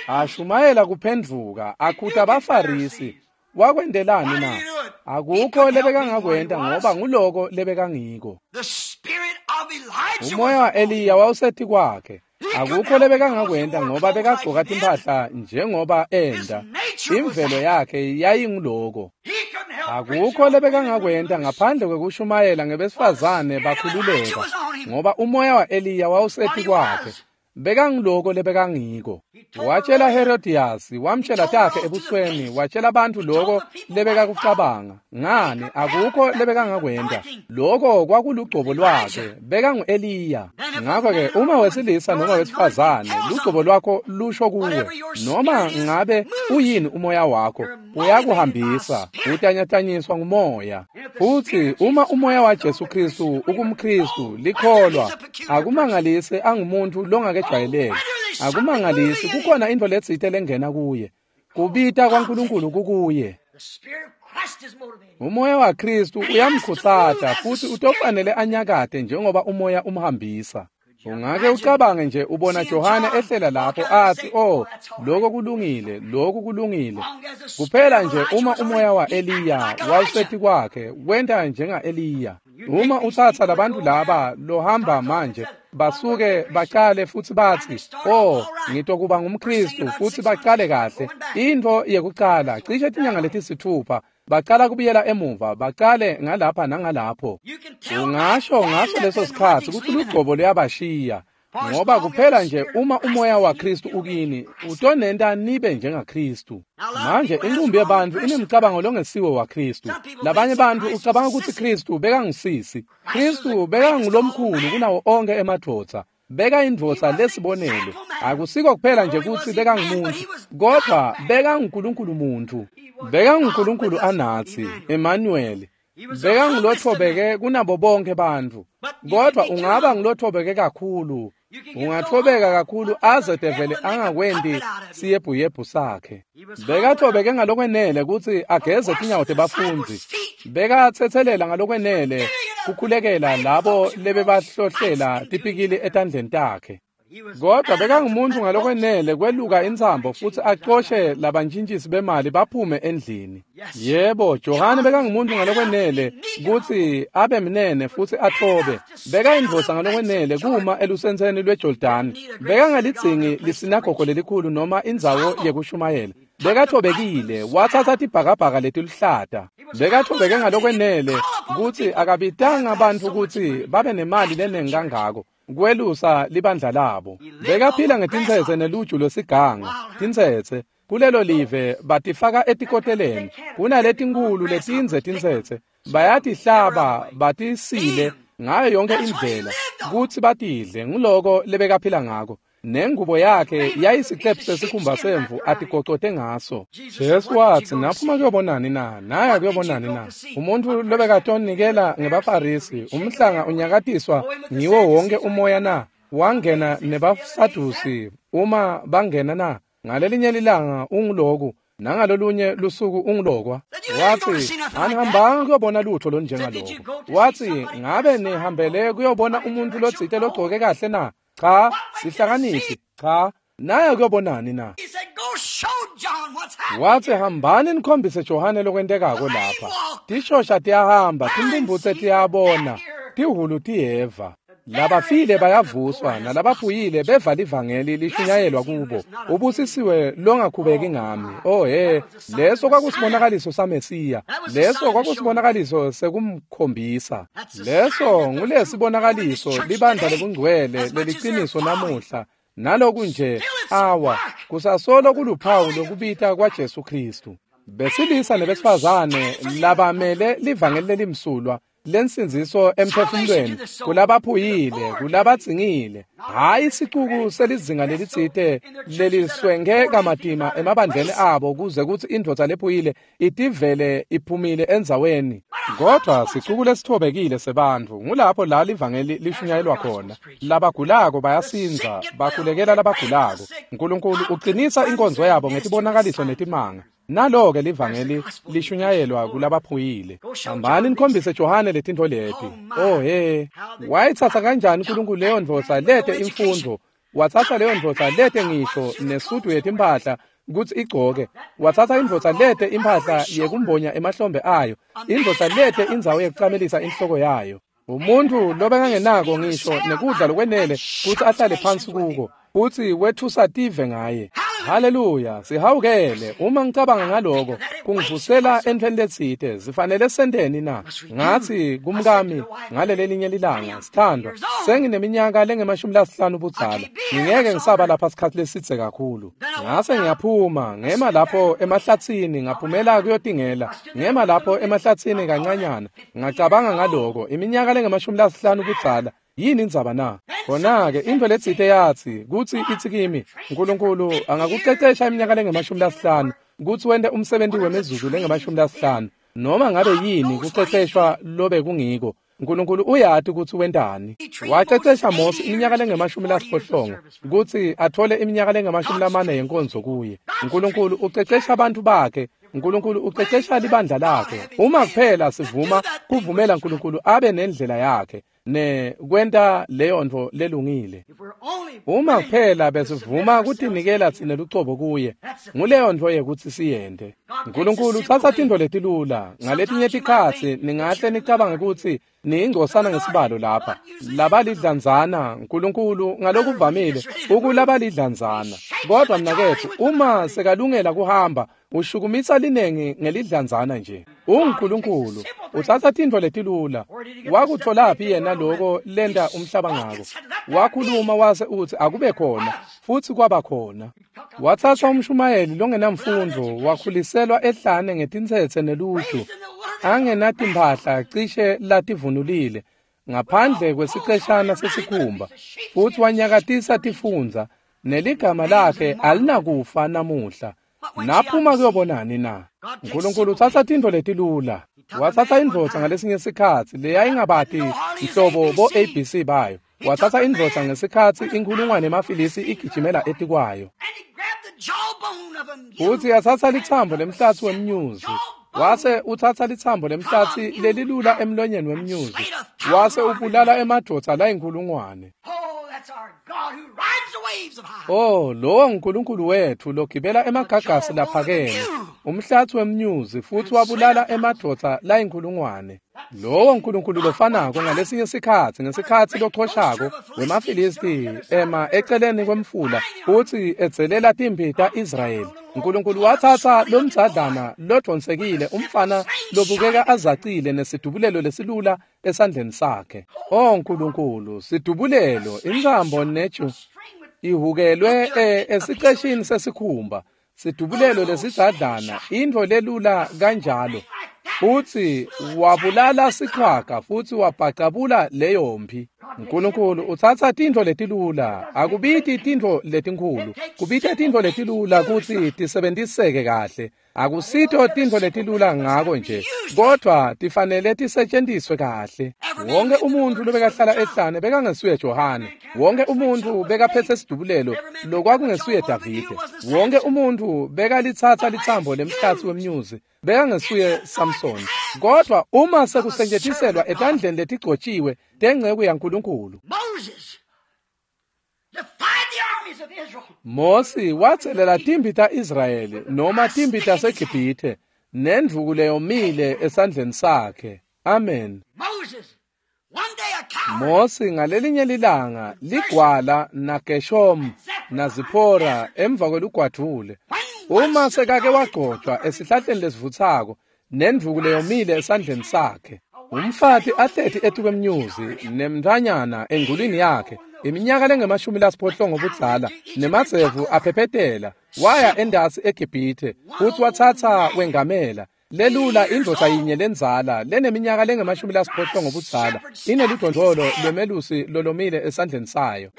Ashumayela kuphendvuka, akhuta abaFarisi. Wakwentelani na? Akukho lebekangakwenta ngoba nguloko lebekangiko. Umoya wa-Eliya wawusetikwakhe. Akukho lebekangakwenta ngoba bekagcoka timphahla njengoba enda. Imvelo yakhe yayinguloko. Akukho lebekangakwenta ngaphandle kwekushumayela ngebesifazane bakhululeka, ngoba umoya wa-Eliya wawusetikwakhe. Bekangiloko lebekangiko. Watshela Herodias, wamtshela takhe ebusweni, watshela bantfu loko lebekakucabanga. Ngani, akukho lebekangakwenta. Loko kwakulugcobo lwakhe, bekangu-Eliya. Ngakho-ke uma wesilisa noma wesifazane, lugcobo lwakho lusho kuwe. Noma ngabe uyini umoya wakho, uyakuhambisa, utanyatanyiswa ngumoya. Futsi uma umoya waJesu Kristu ukumKristu, likholwa, akumangalisi angumuntu longakejwayeleki. Akumangalisi kukhona intfo letsite lengena kuye. Kubita kwaNkulunkulu kukuye. Umoya waKristu uyamkhutsata futhi utofanele anyakate njengoba umoya umhambisa. Ungake ucabange nje ubona Johane ehlela lapho athi, "Oh, lokho kulungile, lokhu kulungile." Kuphela nje uma umoya wa-Eliya wawusetikwakhe, wenta njenga-Eliya. Uma utsatsa labantu laba lohamba manje basuke bacale futhi bathi, "Oh, ngitokuba ngumKristu," futhi bacale kahle. Intfo yekucala cishe tinyanga letisithupha bacala kubuyela emuva, bacale ngalapha nangalapho. Ungasho ngaso leso sikhatsi kutsi lugcobo luyabashiya, ngoba kuphela nje uma umoya waKristu ukini, utonenta nibe njengaKristu. Manje inqumbi yebantfu inemcabango longesiwo waKristu. Labanye bantfu ucabanga kutsi Kristu bekangusisi. Kristu bekangulomkhulu kunawo onke emadvodza. Bekayindvodza lesibonelo. Akusiko kuphela nje kutsi bekangumuntu, kodwa bekanguNkulunkulu muntu. BekanguNkulunkulu anatsi, Emmanuel. Bekangulothobeke kunabo bonke bantfu. Kodwa ungaba ngulothobeke kakhulu, ungathobeka kakhulu aze devele angakwenti siyebhuyebhu sakhe. Bekathobeke ngalokwenele kutsi ageze tinyawo tebafundzi. Bekatsetselela ngalokwenele kukhulekela labo lebebahlohlela tipikili etandleni takhe. Kodwa bekangumuntu ngalokwenele kweluka intsambo futsi acoshe labantjintjisi bemali baphume endlini. Yebo, Johane bekangumuntu ngalokwenele kutsi abe mnene futsi atfobe. Bekayindvodza ngalokwenele kuma elusentseni lweJordani. Bekangalidzingi lisinagogo lelikhulu noma indzawo yekushumayela. Bekathobekile, watsatsa tibhakabhaka letiluhlata. Bekathobeke ngalokwenele kutsi akabitanga bantfu kutsi babe nemali lenengi kangako kwelusa libandla labo. Bekaphila ngetintsetse neluju lwesiganga. Tintsetse kulelo live batifaka etikoteleni. Kunaletinkhulu letindze tintsetse, bayatihlaba batisile ngayo yonke indlela kutsi batidle. Nguloko lebekaphila ngako. Nengubo yakhe yayisiqephu sesikhumba semvu atigocote ngaso. Jesu watsi, "Naphuma kuyobonani na? Naya kuyobonani na? Umuntu lobekatonikela ngebaFarisi, umhlanga unyakatiswa ngiwo wonke umoya na? Wangena nebaSadusi uma bangena na? Ngalelinye lilanga unguloku, nangalolunye lusuku ungulokwa." Watsi, "Anihambanga kuyobona lutho lonjengaloko." Watsi, "Ngabe nihambele kuyobona umuntu lotsite logcoke kahle na? Cha, sihlakaniphi, cha, naye kuyobonani na?" Watsi, "Hambani nikhombise Johane lokwentekako lapha. Tishosha tiyahamba, timpumputse tiyabona, tihhulu tiyeva. Labafile bayavuswa, nalabaphuyile beva livangeli lishunyayelwa kubo. Ubusisiwe longakhubeki ngami." Oh he, leso kwakusibonakaliso saMesiya. Leso kwakusibonakaliso sekumkhombisa. Leso ngulesibonakaliso libandla lebungcwele leliciniso namuhla. Naloku nje awa kusasolo kuluphawu lokubita kwaJesu Kristu. Besilisa nebesifazane labamele livangeli lelimsulwa lensindziso emphefumulweni kulabaphuyile, kulabadzingile, hhayi sicuku selizinga lelitsite leliswenge kamatima emabandleni abo kuze kutsi indvodza lephuyile itivele iphumile endzaweni. Kodvwa sicuku lesitfobekile sebantfu, ngulapho la livangeli lishunyayelwa khona. Labagulako bayasindza, bakhulekela labagulako. Nkulunkulu uqinisa inkonzo yabo ngetibonakaliso netimanga. Nalo-ke livangeli lishunyayelwa kulabaphuyile. Hambani nikhombise Johane letintfo leti. Oh he, wayitsatsa kanjani uNkulunkulu leyo ndvodza lete imfundvo? Watsatsa leyo ndvodza lete ngisho nesudu yetimphahla kutsi igcoke. Watsatsa indvodza lete imphahla yekumbonya emahlombe ayo, indvodza lete indzawo yekucamelisa inhloko yayo. Umuntu lobekangenako ngisho nekudla lokwenele kutsi ahlale phansi kuko, futsi wetfusa tive ngaye. Haleluya, sihawukele. Uma ngicabanga ngaloko, kungivusela entfweni letsite. Sifanele senteni na? Ngatsi kumkami ngalelelinye lilanga, sithandwa, sengineminyaka lengema-50 budzala. Ngingeke ngisaba lapha sikhatsi lesidze kakhulu. Ngase ngiyaphuma, ngema lapho emahlatsini, ngaphumela kuyotingela. Ngema lapho emahlatsini kancanyana. Ngacabanga ngaloko, iminyaka lengema-50 budzala. Yini indzaba na? Khona-ke intfo letsite yatsi kutsi itsi kimi, uNkulunkulu angakucecesha iminyaka lengema-50 kutsi wente umsebenzi wemizuzu lengema-50 noma ngabe yini kuceceshwa lobe kungiko. uNkulunkulu uyati kutsi wentani. Wacecesha Mose iminyaka lengema-80 kutsi atfole iminyaka lengema-40 yenkonzo kuye. uNkulunkulu ucecesha abantu bakhe. uNkulunkulu ucecesha libandla lakhe. Uma kuphela sivuma kuvumela uNkulunkulu abe nendlela yakhe ne kwenta leyo ntfo lelungile. Uma kuphela besivuma kutinikela tsine lucobo kuye, nguleyo ntfo yekutsi siyente. uNkulunkulu utsatsa tintfo letilula. Ngaletinye tikhatsi ningahle nicabange kutsi niyingcosana ngesibalo lapha. Labalidlanzana, uNkulunkulu ngalokuvamile ukulabalidlanzana. Kodwa mnaketfu, uma sekalungela kuhamba, ushukumisa linengi ngelidlanzana nje. UNkulunkulu utsatsa tintfo letilula. Wakutfolaphi yena loko lenta umhlaba ngako? Wakhuluma wase utsi akube khona, futsi kwaba khona. Watsatsa umshumayeli longenamfundvo, wakhuliselwa ehlane ngetintsetse neluju, angenatimphahla cishe lativunulile, ngaphandle kwesiceshana sesikhumba, futsi wanyakatisa tifundza, neligama lakhe alinakufa namuhla. Naphuma kuyobonani na? uNkulunkulu utsatsa tintfo letilula. Watsatsa indvodza ngalesinye sikhatsi leyayingabati nhlobo bo ABC bayo. Watsatsa indvodza ngesikhatsi inkhulungwane yemafilisi igijimela etikwayo. Futsi yatsatsa litsambo lemhlatsi wemnyuzi. Wase utsatsa litsambo lemhlatsi lelilula emlonyeni wemnyuzi. Wase ubulala emadvodza layinkhulungwane. Oh, lowo nguNkulunkulu wetfu logibela emagagasi laphakeme, umhlatsi wemnyuzi, futsi wabulala emadvodza layinkhulungwane. Lowo nguNkulunkulu lofanako ngalesinye sikhatsi, ngesikhatsi lochoshako wemaFilisti ema eceleni kwemfula futsi edzelela timphi ta-Israyeli. uNkulunkulu watsatsa lomdzadlana lodvonsekile, umfana lobukeka azacile nesidubulelo lesilula esandleni sakhe. Oh Nkulunkulu, sidubulelo, intsambo neju ihukelwe esiceshini sesikhumba, sidubulelo lesidzadlana, intfo lelula kanjalo. Futsi wabulala sichwaga futsi wabhacabula leyo mphi. uNkulunkulu utsatsa tintfo letilula, akubiti tintfo letinkhulu, kubita tintfo letilula kutsi tisebentiseke kahle. Akusito tintfo letilula ngako nje, kodvwa tifanele tisetjentiswe kahle. Wonke umuntfu lobekahlala ehlane bekangesuye Johane. Wonke umuntfu bekaphetse sidubulelo lokwakungesuye Davide. Wonke umuntfu bekalitsatsa litsambo lemhlatsi wemnyuzi bekangesuye Samsoni. Kodvwa uma sekusetjentiselwa etandleni letigcotjiwe tenceku yaNkulunkulu, Mosi watselela timphi ta-Israyeli noma timphi taseGibhithe nendvuku leyomile esandleni sakhe. Amen. Mosi ngalelinye lilanga ligwala naGeshomu naZiphora emva kwelugwadvule, uma sekake wagcotshwa esihlahleni lesivutsako nendvuku leyomile esandleni sakhe, umfati ahleti etikwemnyuzi nemntfwanyana engculwini yakhe, iminyaka lengama-80 budzala, nemadzevu aphephetela, waya endasi eGibhithe futsi watsatsa wengamela. Lelula indvodza yinye lendzala leneminyaka lengama-80 ngobudzala ineludvondvolo lwemelusi lolomile esandleni sayo.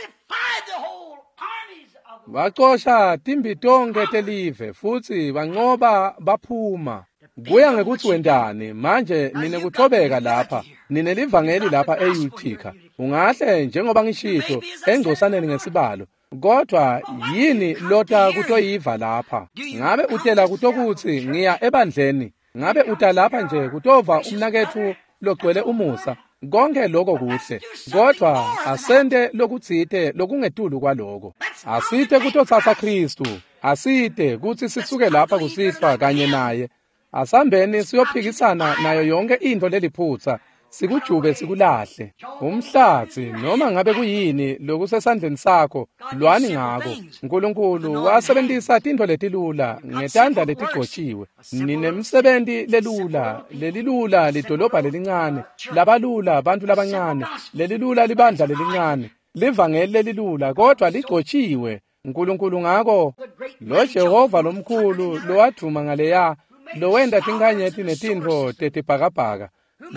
Bacosha timbi tonkhe telive futsi banqoba baphuma. Kuya ngekutsi wentani manje ninekuthobeka lapha, ninelivangeli lapha eUtica. Ungahle njengoba ngishito engcosaneni ngesibalo, kodwa yini lota kutoyiva lapha? Ngabe utela kutokutsi ngiya ebandleni? Ngabe uta lapha nje kutova umnaketfu logcwele umusa? Konke lokho kuhle, kodwa asente lokutsite lokungetulu kwaloko. Asite kutotsatsa Khristu, asite kutsi sisuke lapha kusihlwa kanye naye. Asambeni siyophikisana nayo yonke intfo leliphutsa, sikujube sikulahle. Umhlatsi noma ngabe kuyini lokusesandleni sakho, lwani ngako. Nkulunkulu wasebentisa tintfo letilula ngetandla letigcotshiwe. Ninemsebenti lelula, lelilula lidolobha lelincane, labalula bantfu labancane, lelilula libandla lelincane, livangeli lelilula kodwa ligcotshiwe. Nkulunkulu ngako lo Jehova lomkhulu lowadvuma ngaleya, lowenta tinkhanyeti netintfo tetibhakabhaka,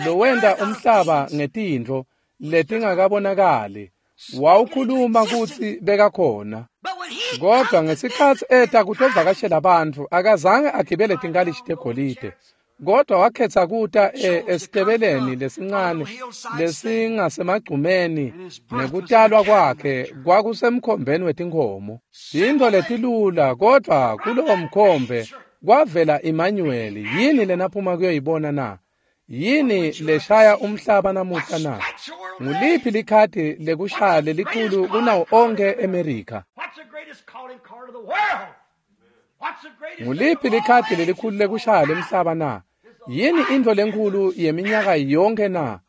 lowenta umhlaba ngetintfo letingakabonakali, wawukhuluma kutsi bekakhona. Kodwa ngesikhatsi eta kutovakashela bantfu, akazange agibele tinkalishi tegolide, kodwa wakhetsa kuta esitebeleni lesincane lesingasemagcumeni, nekutalwa kwakhe kwakusemkhombeni wetinkhomo. Tintfo letilula, kodwa kulowo mkhombe kwavela Emmanuel. Yini lenaphuma kuyoyibona na? Yini leshaya umhlaba namuhla na? Nguliphi likhadi lekushaya lelikhulu kunawo onkhe eMerika? Nguliphi likhadi lelikhulu lekushaya lemhlaba na? Yini intfo lenkhulu yeminyaka yonke na?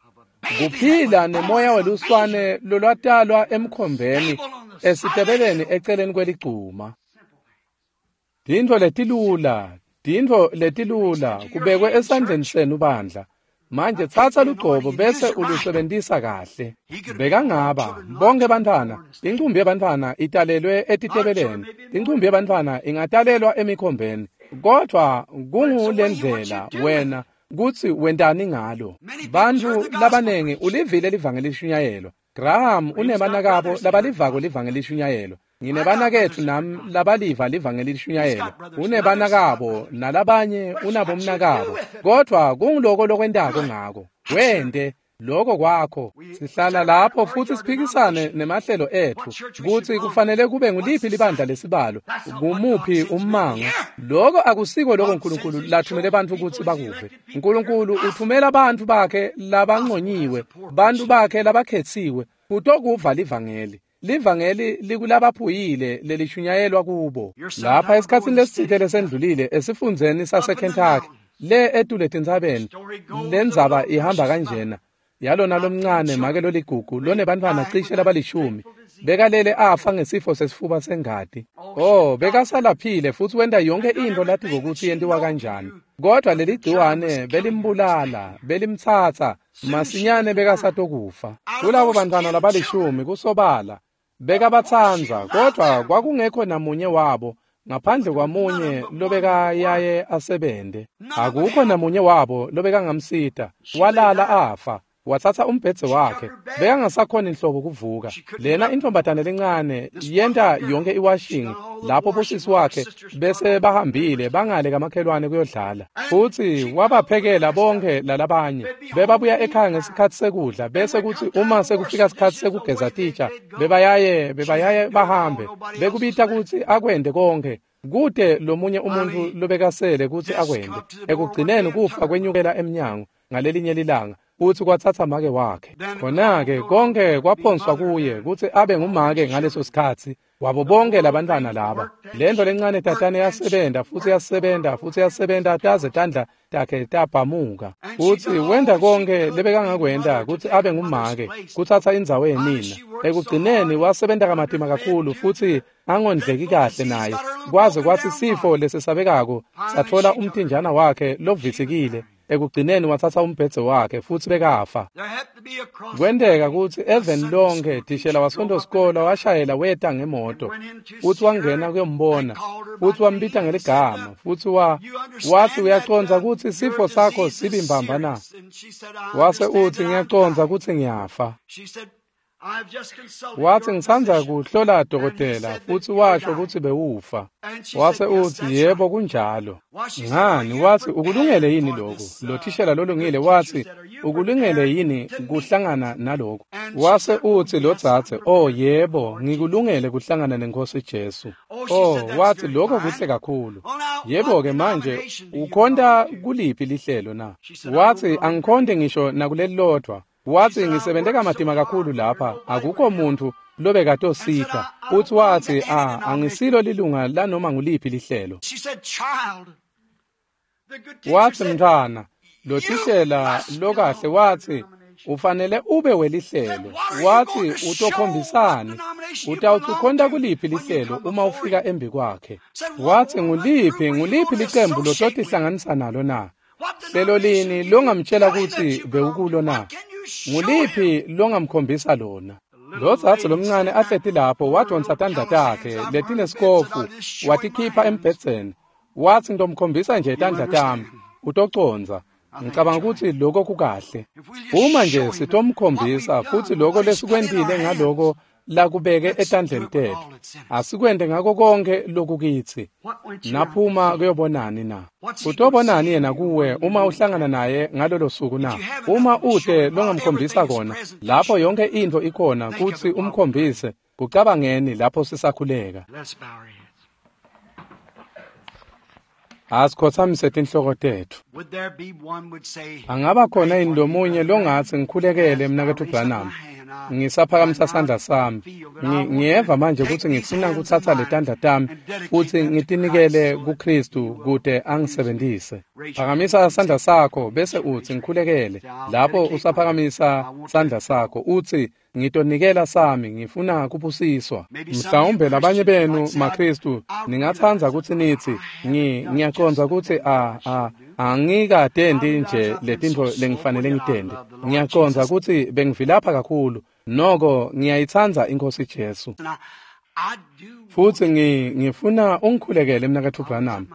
Kuphila nemoya weluswane lolwatalwa emkhombeni esitebeleni eceleni kweligcuma. Tintfo letilula, tintfo letilula kubekwe esandleni senu bandla. Manje tsatsa lugcobo bese ulusebentisa kahle. Bekangaba bonke bantfwana, incumbi yebantfwana italelwe etitebeleni, incumbi yebantfwana ingatalelwa emikhombeni, kodwa kungulendlela wena kutsi wentani ngalo. Bantfu labanengi ulivile livangeli lishunyayelwa. Graham unebanakabo labalivako livangeli lishunyayelwa. Nginebanaketfu nami labaliva livangeli lishunyayelwa. Unebanakabo nalabanye unabomnakabo, kodwa kunguloko lokwentako ngako. Wente lokho kwakho. Sihlala lapho futsi siphikisane nemahlelo etfu kutsi kufanele kube nguliphi libandla lesibalo, kumuphi ummango. Lokho akusiko lokho Nkulunkulu lathumele bantfu kutsi bakuve. Nkulunkulu uthumela bantfu bakhe labanconyiwe, bantfu bakhe labakhetsiwe kutokuva livangeli. Livangeli likulabaphuyile lelishunyayelwa kubo. Lapha esikhatsini lesitsite lesendlulile esifundzeni saseKentucky, le etule tintsabeni, lendzaba ihamba kanjena. Yalona lomncane make loligugu lonebantfwana cishe labalishumi, bekalele afa ngesifo sesifuba sengati. Oh, bekasalaphile futsi wenta yonke intfo latiko kutsi yentiwa kanjani, kodwa leligciwane belimbulala, belimtsatsa masinyane bekasatokufa. Kulabo bantfwana labalishumi kusobala bekabatsandza, kodwa kwakungekho namunye wabo ngaphandle kwamunye lobekayaye asebente. Akukho namunye wabo lobekangamsita. Walala afa. Watsatsa umbhedze wakhe, bekangasakhoni inhlobo kuvuka. Lena intombatane lencane yenta yonke iwashing lapho bosisi wakhe bese bahambile bangale kamakhelwane kuyodlala, futsi wabaphekela bonke lalabanye. Bebabuya ekhaya ngesikhatsi sekudla, bese kutsi uma sekufika sikhatsi sekugeza titsha, bebayaye bahambe. Bekubita kutsi akwente konke, kute lomunye umuntfu lobekasele kutsi akwente. Ekugcineni kufa kwenyukela emnyango ngalelinye lilanga, futsi kwatsatsa make wakhe. Khona-ke konke kwaphonswa kuye kutsi abe ngumake ngaleso sikhatsi wabo bonke labantfwana laba. Lentfo lencane tatane yasebenta futsi yasebenza futsi yasebenza taze tandla takhe tabhamuka. Futsi wenta konke lebekangakwenta kutsi abe ngumake, kutsatsa indzawo yenina. Ekugcineni wasebenta kamatima kakhulu futsi angondleki kahle naye, kwaze kwatsi sifo lesesabekako satfola umtinjana wakhe lovitsikile. Ekugcineni watsatsa umbhedze wakhe futsi bekafa. Kwenteka kutsi eveni lonke thishela wasonto-sikolo washayela weta ngemoto futsi wangena kuyombona futsi wambita ngeligama futsi wathi uyacondza kutsi sifo sakho sibi mbamba na? Wase utsi ngiyacondza kutsi ngiyafa. Wathi ngisandza kuhlola dokotela futsi washo kutsi bewufa. Wase utsi yebo kunjalo. Ngani wathi ukulungele yini lokhu? Lo thishela lolungile wathi ukulungele yini kuhlangana nalokhu? Wase utsi lo dzadze, oh yebo, ngikulungele kuhlangana nenkosi Jesu. Oh, wathi lokho kuhle kakhulu. Yebo ke manje ukhonta kuliphi lihlelo na? Wathi angikhonte ngisho nakulelilodwa. Wathi ngisebenze kamatima kakhulu lapha akukho muntu lobekatosipha. Uthi wathi angisilo lilunga lanoma nguliphi lihlelo. Wathi mntwana lo thishela lokahle wathi ufanele ube welihlelo. Wathi utokhombisani utawuthi ukhonta kuliphi lihlelo uma ufika embi kwakhe. Wathi nguliphi licembu lototihlanganisa nalo na? Hlelo lini longamtshela kutsi bewukulo na? Nguliphi longamkhombisa lona? Lo dzadze lomncane ahleti lapho wadonsa tandla takhe letinesikofu watikhipha embhedzeni. Wathi ngitomkhombisa nje tandla tami utocondza. Ngicabanga ukuthi lokho kukahle. Uma nje sitomkhombisa futhi lokho lesikwentile ngaloko lakubeke etandleni tethu, asikwente ngako konke lokukitsi. Naphuma kuyobonani na? Utobonani yena kuwe uma uhlangana naye ngalolo suku na? Uma ute longamkhombisa kona, lapho yonke intfo ikhona kutsi umkhombise, kucabangeni lapho sisakhuleka. Asikhothamise tinhloko tetfu. Angaba khona yini lomunye longatsi ngikhulekele mnaketfu Branham? Ngisaphakamisa sandla sami. Ngiyeva manje kutsi ngifuna kutsatsa letandla tami futsi ngitinikele kuKristu kute angisebentise. Phakamisa sandla sakho bese utsi ngikhulekele. Lapho usaphakamisa sandla sakho utsi ngitonikela sami ngifuna kubusiswa. Mhlawumbe labanye benu maKristu ningatsandza kutsi nitsi ngiyacondza kutsi angikatendi nje letintfo lengifanele ngitende. Ngiyacondza kutsi bengivilapha kakhulu, noko ngiyayitsandza iNkhosi Jesu. Futsi ngifuna ungikhulekele mnaketfu Branham.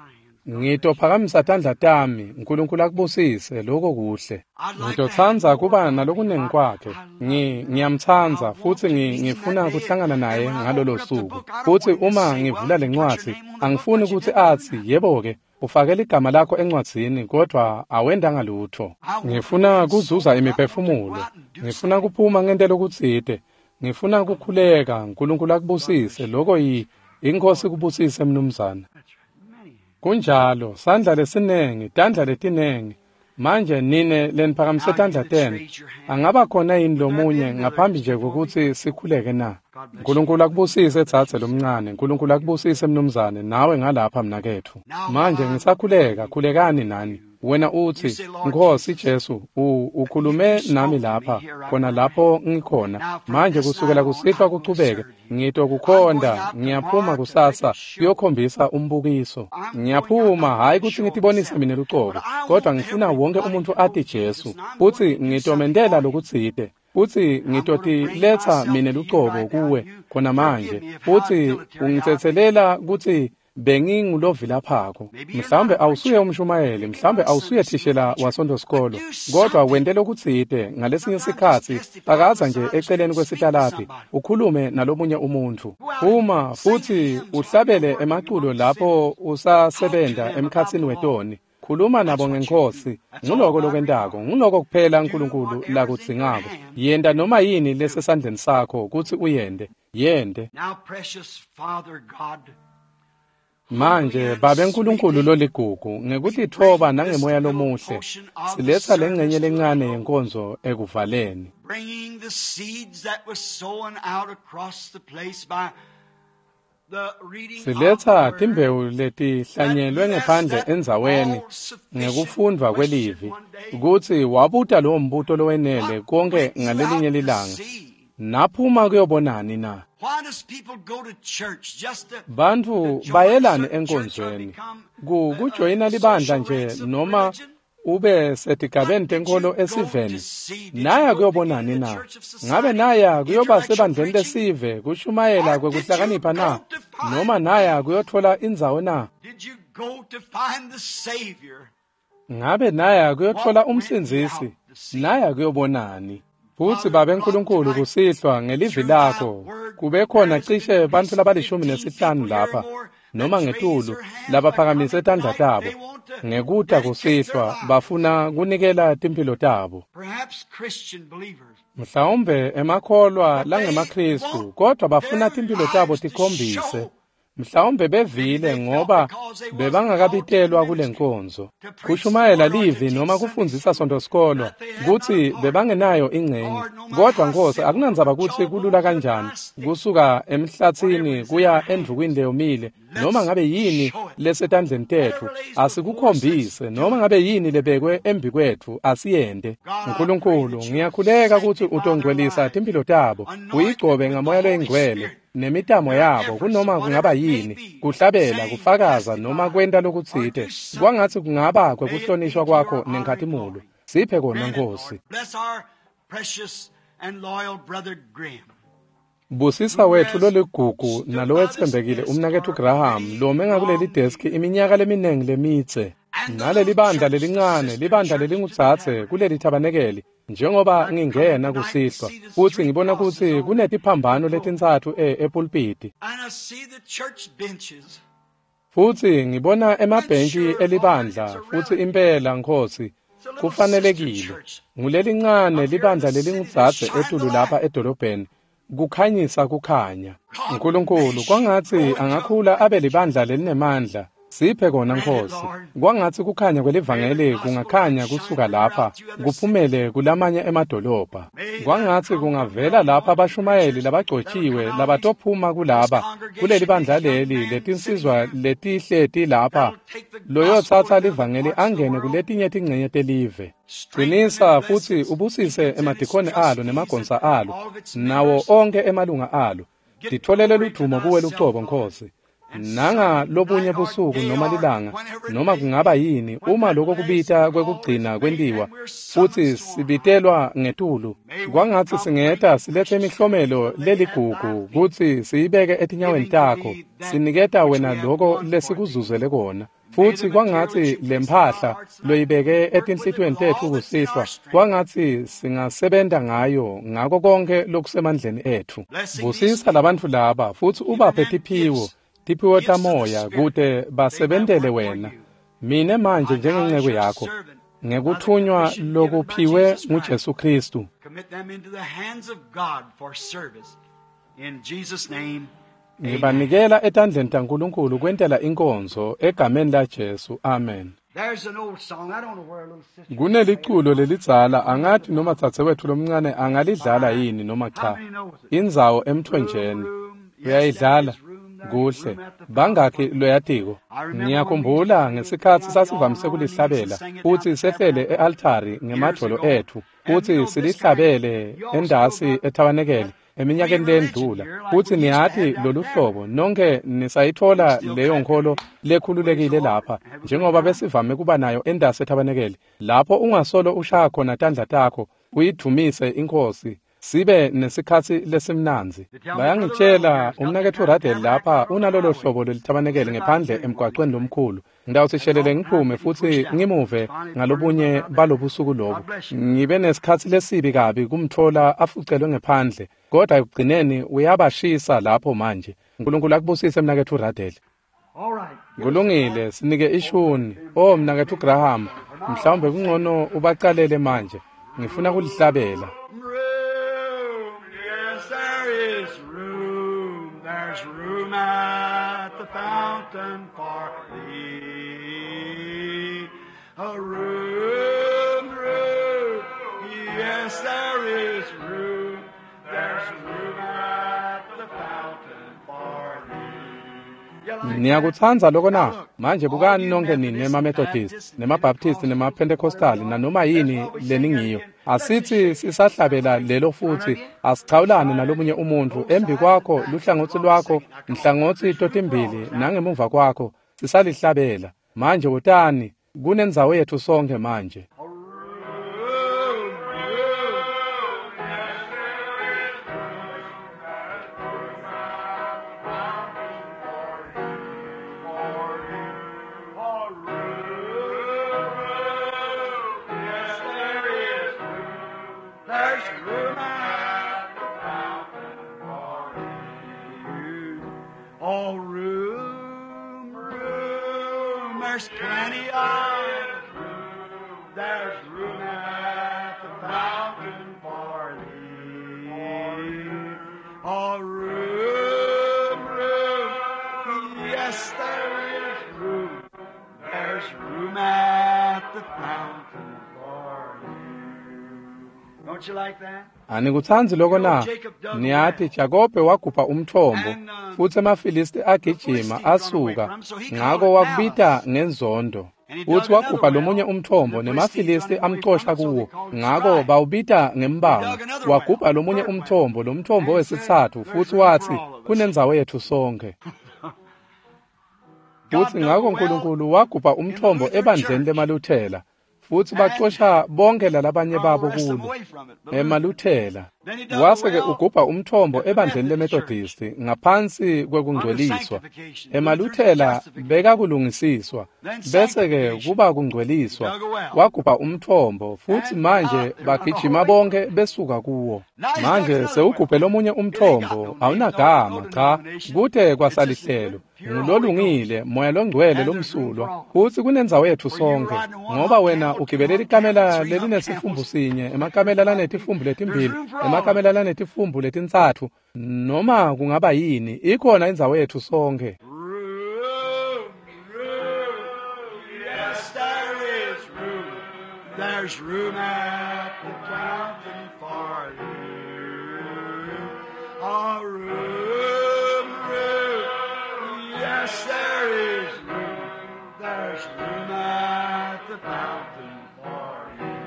Ngitophakamisa tandla tami, uNkulunkulu akubusise lokho kuhle. Ngitotsandza kuba nalokunengi kwakhe. Ngiyamtsandza futsi ngifuna kuhlangana naye ngalolo suku. Futsi uma ngivula lencwadzi, angifuni kutsi atsi yebo ke ufake ligama lakho encwadzini kodwa awendanga lutho. Ngifuna kuzuza imiphefumulo. Ngifuna kuphuma ngente lokutsite. Ngifuna kukhuleka, uNkulunkulu akubusise lokho iNkhosi kubusise mnumzana. Kunjalo, sandla lesinengi, tandla letinengi. Manje nine leniphakamise tandla tenu. Angaba khona yini lomunye ngaphambi nje kokuthi sikhuleke na? uNkulunkulu akubusise dzadze lomncane, uNkulunkulu akubusise mnumzane, nawe ngalapha mnaketfu. Manje ngisakhuleka, khulekani nani. Wena uthi, Nkosi Jesu, ukhulume nami lapha, khona lapho ngikhona. Manje kusukela kusihlwa kuchubeke, ngitokukhonda, ngiyaphuma kusasa, kuyokhombisa umbukiso. Ngiyaphuma, hhayi kutsi ngitibonise mina lucobo, kodwa ngifuna wonke umuntu ati Jesu, futsi ngitomentela lokutsite. Futsi ngitotiletsa mine lucobo kuwe khona manje, futsi ungitsetselela kutsi bengingulovilaphako. Mhlawumbe awusuye umshumayeli, mhlawumbe awusuye thishela wasonto-sikolo, kodwa wente lokutsite ngalesinye sikhatsi phakaza nje eceleni kwesitaladi ukhulume nalomunye umuntfu. Uma futsi uhlabele emaculo lapho usasebenta emkhatsini wetoni, khuluma nabo ngeNkhosi. Nguloko lokwentako, nguloko kuphela uNkulunkulu lakudzingako. Yenta noma yini lesesandleni sakho kutsi uyente, yente. Manje Babe Nkulunkulu loligugu, ngekutitfoba nangemoya lomuhle, siletsa lengcenye lencane yenkonzo ekuvaleni. Siletsa timbewu letihlanyelwe ngephandle endzaweni ngekufundvwa kwelivi, kutsi wabuta lowo mbuto lowenele konke ngalelinye lilanga. Naphuma kuyobonani na? Bantfu bayelani enkonzweni kujoyina libandla nje noma Ube setigabeni tenkolo esiveni. Naya kuyobonani na? Ngabe naya kuyoba sebandleni lesive kushumayela kwekuhlakanipha na? Noma naya kuyothola indzawo na? Ngabe naya kuyothola umsindzisi? Naya kuyobonani? Futsi Babe Nkulunkulu kusihlwa ngelivi lakho kube khona cishe bantfu laba-15 lapha noma ngetulu labaphakamise tandla tabo ngekuta kusihlwa bafuna kunikela timphilo tabo. Mhlawumbe emakholwa langemaKhristu kodwa bafuna timphilo tabo tikhombise. Mhlawumbe bevile ngoba bebangakabitelwa kule nkonzo kushumayela livi noma kufundzisa sontosikolo kutsi bebangenayo ingcenye. Kodwa Nkosi, akunandzaba kutsi kulula kanjani kusuka emhlatsini kuya endvukwini leyomile, noma ngabe yini lesetandleni tetfu asikukhombise, noma ngabe yini lebekwe embikwetfu asiyente. Nkulunkulu, ngiyakhuleka kutsi utongcwelisa timphilo tabo, uyigcobe ngamoya loyingcwele nemitamo yabo kunoma kungaba yini, kuhlabela, kufakaza noma kwenta lokutsite, kwangatsi kungaba kwekuhlonishwa kwakho nenkhatimulo. Siphe kona Nkosi. Busisa wetfu loligugu nalowetsembekile umnaketfu Graham lome ngakuleli deski iminyaka leminingi lemitse, naleli bandla lelincane, libandla lelingudzadze kuleli thabanekeli. Njengoba ngingena kusihlwa futsi ngibona kutsi kunetiphambano letintsatfu epulpiti, futsi ngibona emabhentshi elibandla, futsi impela Nkosi kufanelekile ngulelincane libandla lelingudzadze etulu lapha edolobheni kukhanyisa kukhanya. Nkulunkulu, kwangatsi angakhula abe libandla lelinemandla. Siphe kona Nkosi. Kwangatsi kukhanya kwelivangeli kungakhanya kusuka lapha kuphumele kulamanye emadolobha. Kwangatsi kungavela lapha abashumayeli labagcotshiwe labatophuma kulaba kuleli bandla leli letinsizwa letihleti lapha loyotsatsa livangeli angene kuletinye tingcenye telive. Qinisa futsi ubusise emadikoni alo nemagonsa alo nawo onke emalunga alo. Titfolele ludvumo kuwe lucobo Nkosi. Nanga lobunye busuku noma lilanga noma kungaba yini, uma lokho kubita kwekugcina kwentiwa futsi sibitelwa ngetulu, kwangatsi singeta silethe imihlomelo leligugu kutsi siyibeke etinyaweni takho, siniketa wena lokho lesikuzuzele kona. Futsi kwangatsi lemphahla loyibeke etinhlitiyweni tetfu kusihlwa, kwangatsi singasebenta ngayo ngako konke lokusemandleni etfu. Busisa labantfu laba futsi ubaphe tiphiwo tamoya kute basebentele wena. Mine manje njengenceku yakho ngekuthunywa lokuphiwe nguJesu Kristu, ngibanikela etandleni taNkulunkulu kwentela inkonzo egameni laJesu. Amen. Kuneliculo lelidzala, angathi noma dzadzewetfu lomncane angalidlala yini noma cha. Indzawo emthonjeni uyayidlala kuhle. Bangakhi loyatiko? Ngiyakhumbula ngesikhatsi sasivamise kulihlabela futsi sehlele e-altari ngemadvolo etfu futsi silihlabele endasi ethabanekele eminyakeni leyendlula. Futsi niyati lolu hlobo nonke nisayitfola leyo nkholo lekhululekile lapha njengoba besivame kuba nayo endasi ethabanekele, lapho ungasolo ushaya khona tandla takho uyidvumise iNkhosi, sibe nesikhatsi lesimnandzi. Bayangitshela umnaketfu Radel lapha unalolo hlobo lelithabanekele ngephandle emgwacweni lomkhulu. Ngitawusishelele ngiphume futsi ngimuve ngalobunye balobusuku lobu. Ngibe nesikhatsi lesibi kabi kumtfola afucelwe ngephandle, kodwa ekugcineni uyabashisa lapho manje. Nkulunkulu akubusise mnaketfu Radel. Kulungile, sinike ishuni. Oh mnaketfu Graham, mhlawumbe kungcono ubacalele manje. Ngifuna kulihlabela. Room at the fountain for thee. A room, room, yes, there is room. There's room at the fountain for thee. Niyakutsandza loko na? Manje bukani nonke nini emaMethodist, nemaBaptist, nemaPentecostal, nanoma yini leningiyo. Asithi sisahlabela lelo futhi asichawulane nalomunye umuntu embi kwakho, luhlangotsi lwakho, nhlangothi totimbili nangemuva kwakho, sisalihlabela. Manje wotani, Kunendzawo yetfu sonkhe manje. There's room at the fountain for you. Oh, room, room, there's plenty of room. There's room at the fountain for thee. Oh, room, room, yes, there is room. There's room at the fountain for you. Don't you like that? Anikutsandzi loko na? Niyati Jakobe wagubha umthombo futsi emaFilisti agijima asuka, ngako wakubita ngenzondo. Futsi wagubha lomunye umthombo nemaFilisti amcosha kuwo, ngako bawubita ngembango. Wagubha lomunye umthombo, lomthombo wesitsatfu, futsi watsi kunendzawo yetfu sonkhe. Futsi ngako Nkulunkulu wagubha umthombo ebandleni lemaLuthela, futsi bacosha bonke lalabanye babo kulo emaLuthela. Wase-ke ugubha umthombo ebandleni leMethodisti ngaphansi kwekungcweliswa. EmaLuthela bekakulungisiswa, bese-ke kuba kungcweliswa. Wagubha umthombo futsi manje bagijima bonke besuka kuwo. Manje sewugubhe lomunye umthombo, awunagama, cha, kute kwasalihlelo. Ngulolungile, Moya loNgcwele lomsulwa, futsi kunendzawo yetfu sonkhe, ngoba wena ugibele likamela lelinesifumbu sinye, emakamela lanetifumbu letimbili, emakamela lanetifumbu letintsatfu, noma kungaba yini, ikhona indzawo yetfu sonkhe. Room, room, yes, there is room. There's room at the fountain for you. Oh, room, room, yes, there is room. There's room at the fountain for you.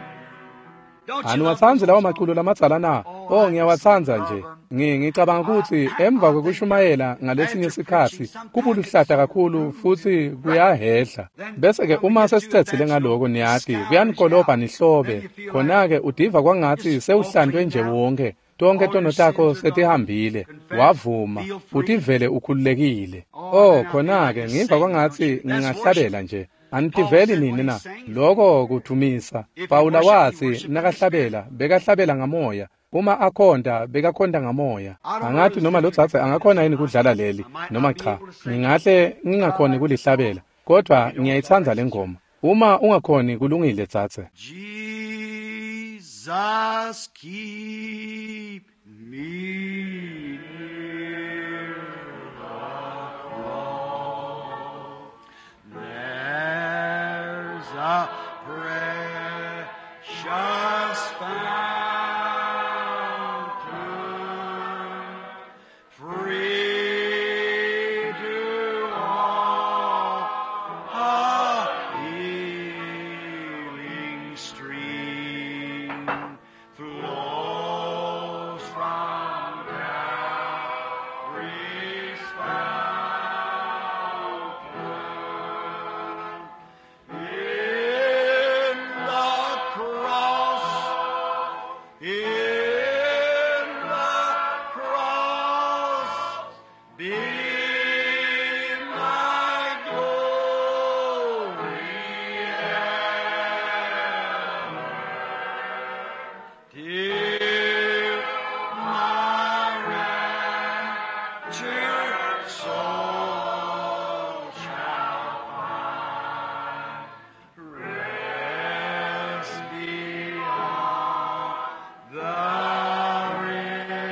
Don't you love Aniwatsandzi those lawo songs? maculo lamadzala na? Oh, ngiyawatsandza nje. Ngicabanga kutsi emva kwekushumayela ngalesinye sikhatsi kubuluhlata kakhulu futsi kuyahehla. Bese-ke uma sesicedzile ngaloko niyati kuyanikolobha nihlobe. Khona-ke udiva kwangatsi sewuhlantwe nje wonke. Tonkhe tono takho setihambile, wavuma, utivele ukhululekile. Oh, khona-ke ngiva kwangatsi ngingahlabela nje. Anitiveli nini na? Loko kudvumisa. Pawula watsi nakahlabela, bekahlabela ngamoya. Uma akhonta, bekakhonta ngamoya. Angati noma lo dzadze angakhona yini kudlala leli, noma cha. Ngingahle ngingakhoni kulihlabela, kodvwa ngiyayitsandza le ngoma. Uma ungakhoni kulungile dzadze. Jesus, keep me near the cross. There's a precious fountain, free to all, a healing stream flows from Calvary's fountain. In the cross, in the cross, be my glory ever, till my raptured soul shall find rest beyond the river.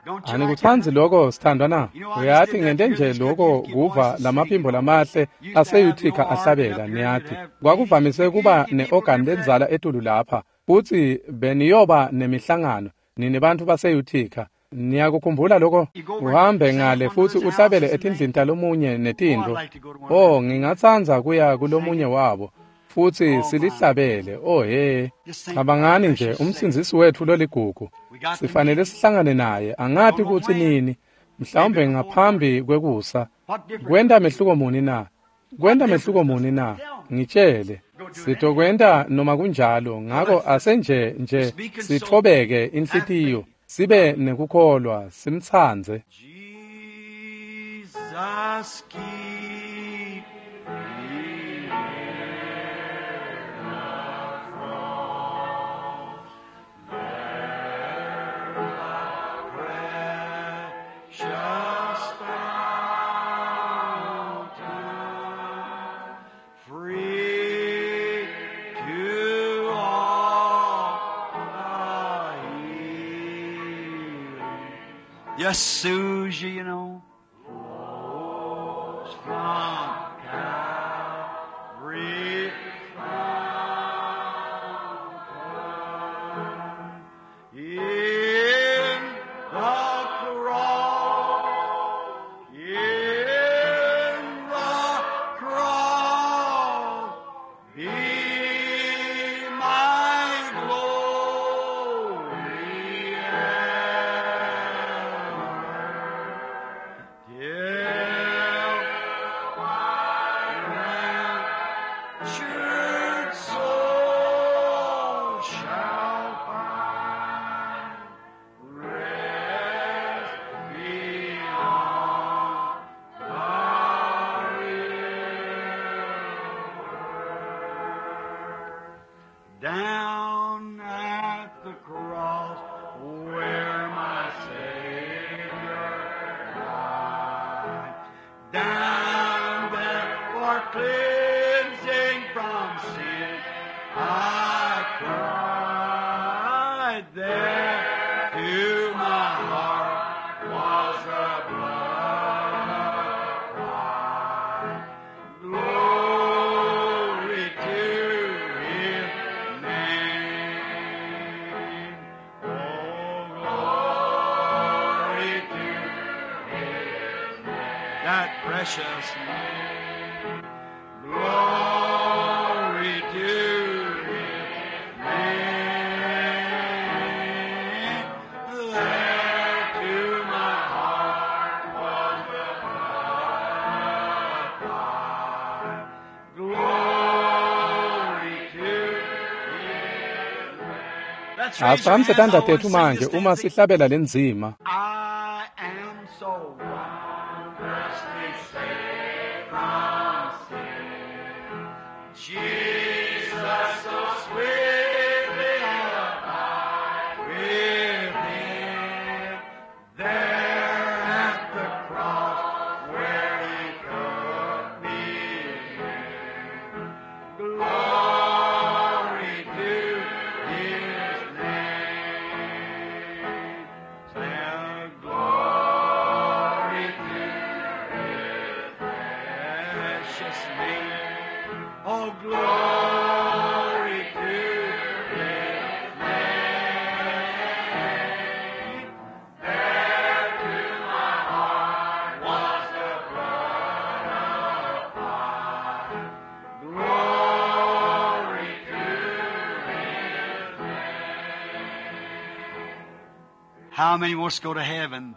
Don't you like Anikutsandzi that? loko sithandwa na? Uyati ngente nje loko kuva lamaphimbo lamahle aseYuthika ahlabela niyati. Kwakuvamise kuba ne-organ lendzala etulu lapha, futsi beniyoba nemihlangano nini bantfu baseYuthika. Niyakukhumbula loko? Uhambe ngale futsi uhlabele etindlini talomunye netintfo. Oh, ngingatsandza kuya kulomunye wabo futsi silihlabele. Oh he, cabangani nje umsindzisi wetfu loligugu. Sifanele sihlangane naye, angati kutsi nini. Mhlawumbe ngaphambi kwekusa. Kwenta mehluko muni na? Kwenta mehluko muni na? Ngitshele. Sitokwenta noma kunjalo, ngako asenje nje sithobeke inhlitiyo, sibe nekukholwa, simtsandze. Jesus keep me near the cross, there the precious fountain, free to all the healing. Just soothes you, you know. Flows from Calvary fountain. In the cross, in the cross, be my glory ever. Till my raptured soul shall find rest beyond the river. Down at the cross where my Savior died. Down there for cleansing from sin I cried. There to my heart was the blood applied. Glory to His name. Oh, glory to His name. That precious name. Glory to His name. There to my heart was the blood applied. Glory to His name. Let's raise your Asiphakamisa hands. tandla I want to tetfu sing manje this uma stanza. sihlabela lenzima. I am so wondrously saved from sin. Jesus so sweetly abide with him. There at the cross where he took me in. Glory to his name. Say, glory to his precious name. Oh, glory to his name. There to my heart was the blood applied. Glory to his name. How many wants to go to heaven?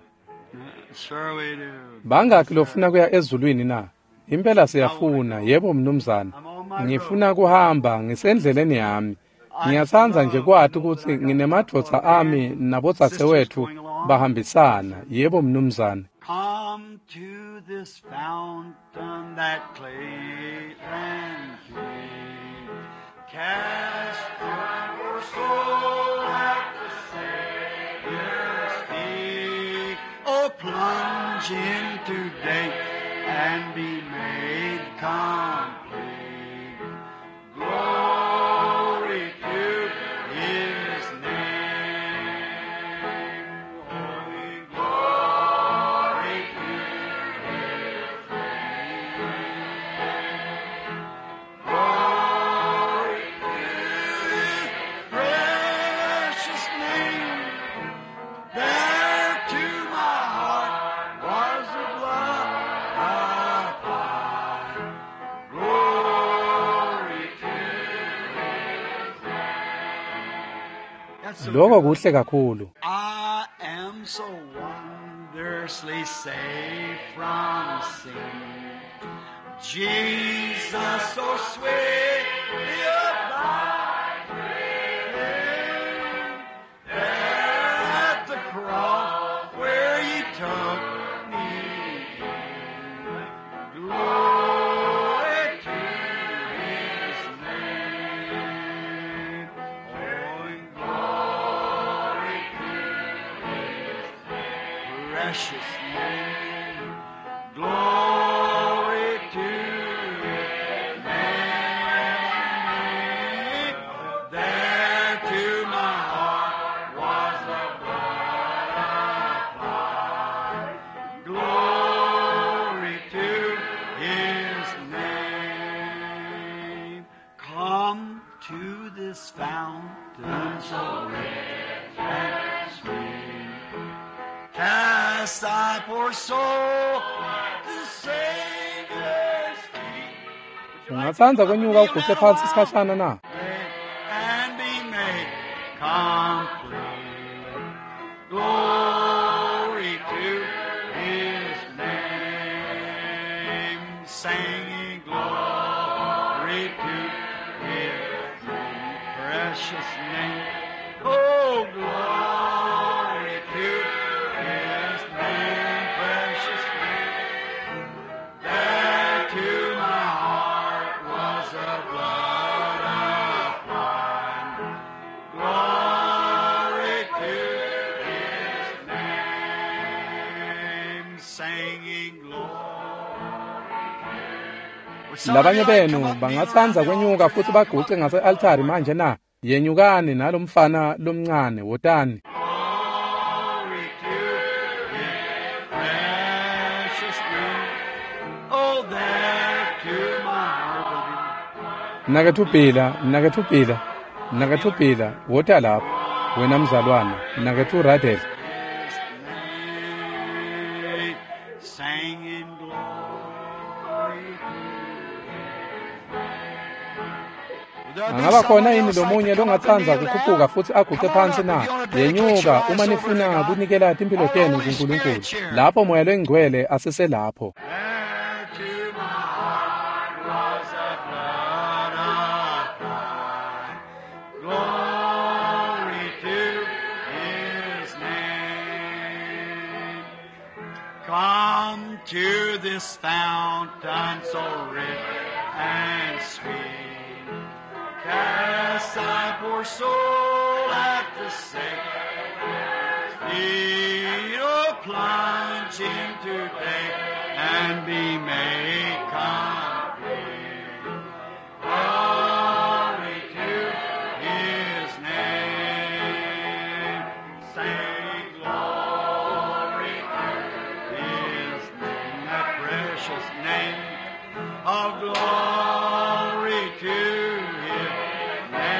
Sure we do. Bangaki lofuna kuya ezulwini na? Impela siyafuna, yebo mnumzane. Ngifuna kuhamba ngisendleleni yami. Ngiyatsandza nje kwati kutsi nginemadvodza ami nabodzadzewetfu bahambisana. Yebo mnumzane. Come to this fountain that clean and clean. Cast your soul at the Savior's feet. Oh, plunge in today and be made complete. Glory to His name. Holy glory to His name. Glory to His precious name. There to my heart was the blood applied. Glory to His name. That's so Lokho good. kuhle kakhulu. I am so wonderfully Wondrously saved from sin. Jesus so sweetly abiding there at the cross where He took me in. Glory to His name. Oh, and glory to His precious name. Glory to His name. There to my heart was the blood applied. Glory to His name. Come to this fountain so rich and sweet. Cast thy poor soul to Savior's feet. Ungatsandza kwenyuka uguce phansi isikhashana na? And be made complete. Glory to His name. Singing glory to His name, precious name. Oh, glory to His name, precious name. There to my heart was the blood applied. Glory to His name, singing glory. Would somebody Labanye like benu come up, kneel bangatsandza around the kwenyuka altar futhi now? Come baguce up. ngase-altari manje na? Yenyukani nalomfana lomncane, wotani. Glory to His precious name. Oh, there to my heart. Mnaketfu Bhila, mnaketfu Bhila, mnaketfu Bhila, wota lapha. Wena mzalwane, mnaketfu Radel. His name, singing glory to His. Would there be Angaba khona someone yini else like lomunye to come up and longatsandza kneel kukhuphuka down? futhi aguce Come on phansi up na? if you want to dedicate your Yenyuka lives uma over to nifuna God. kunikela timphilo All the tenu Holy kuNkulunkulu. Spirit's here. Lapho moya lengcwele aseselapho. There to my heart was the blood applied. Glory to His name. Come to this fountain so rich and sweet. Cast thy poor soul at the Savior's feet. Oh, plunge in today and be made complete. Glory to His name. Say glory to His name, that precious name of glory to His name.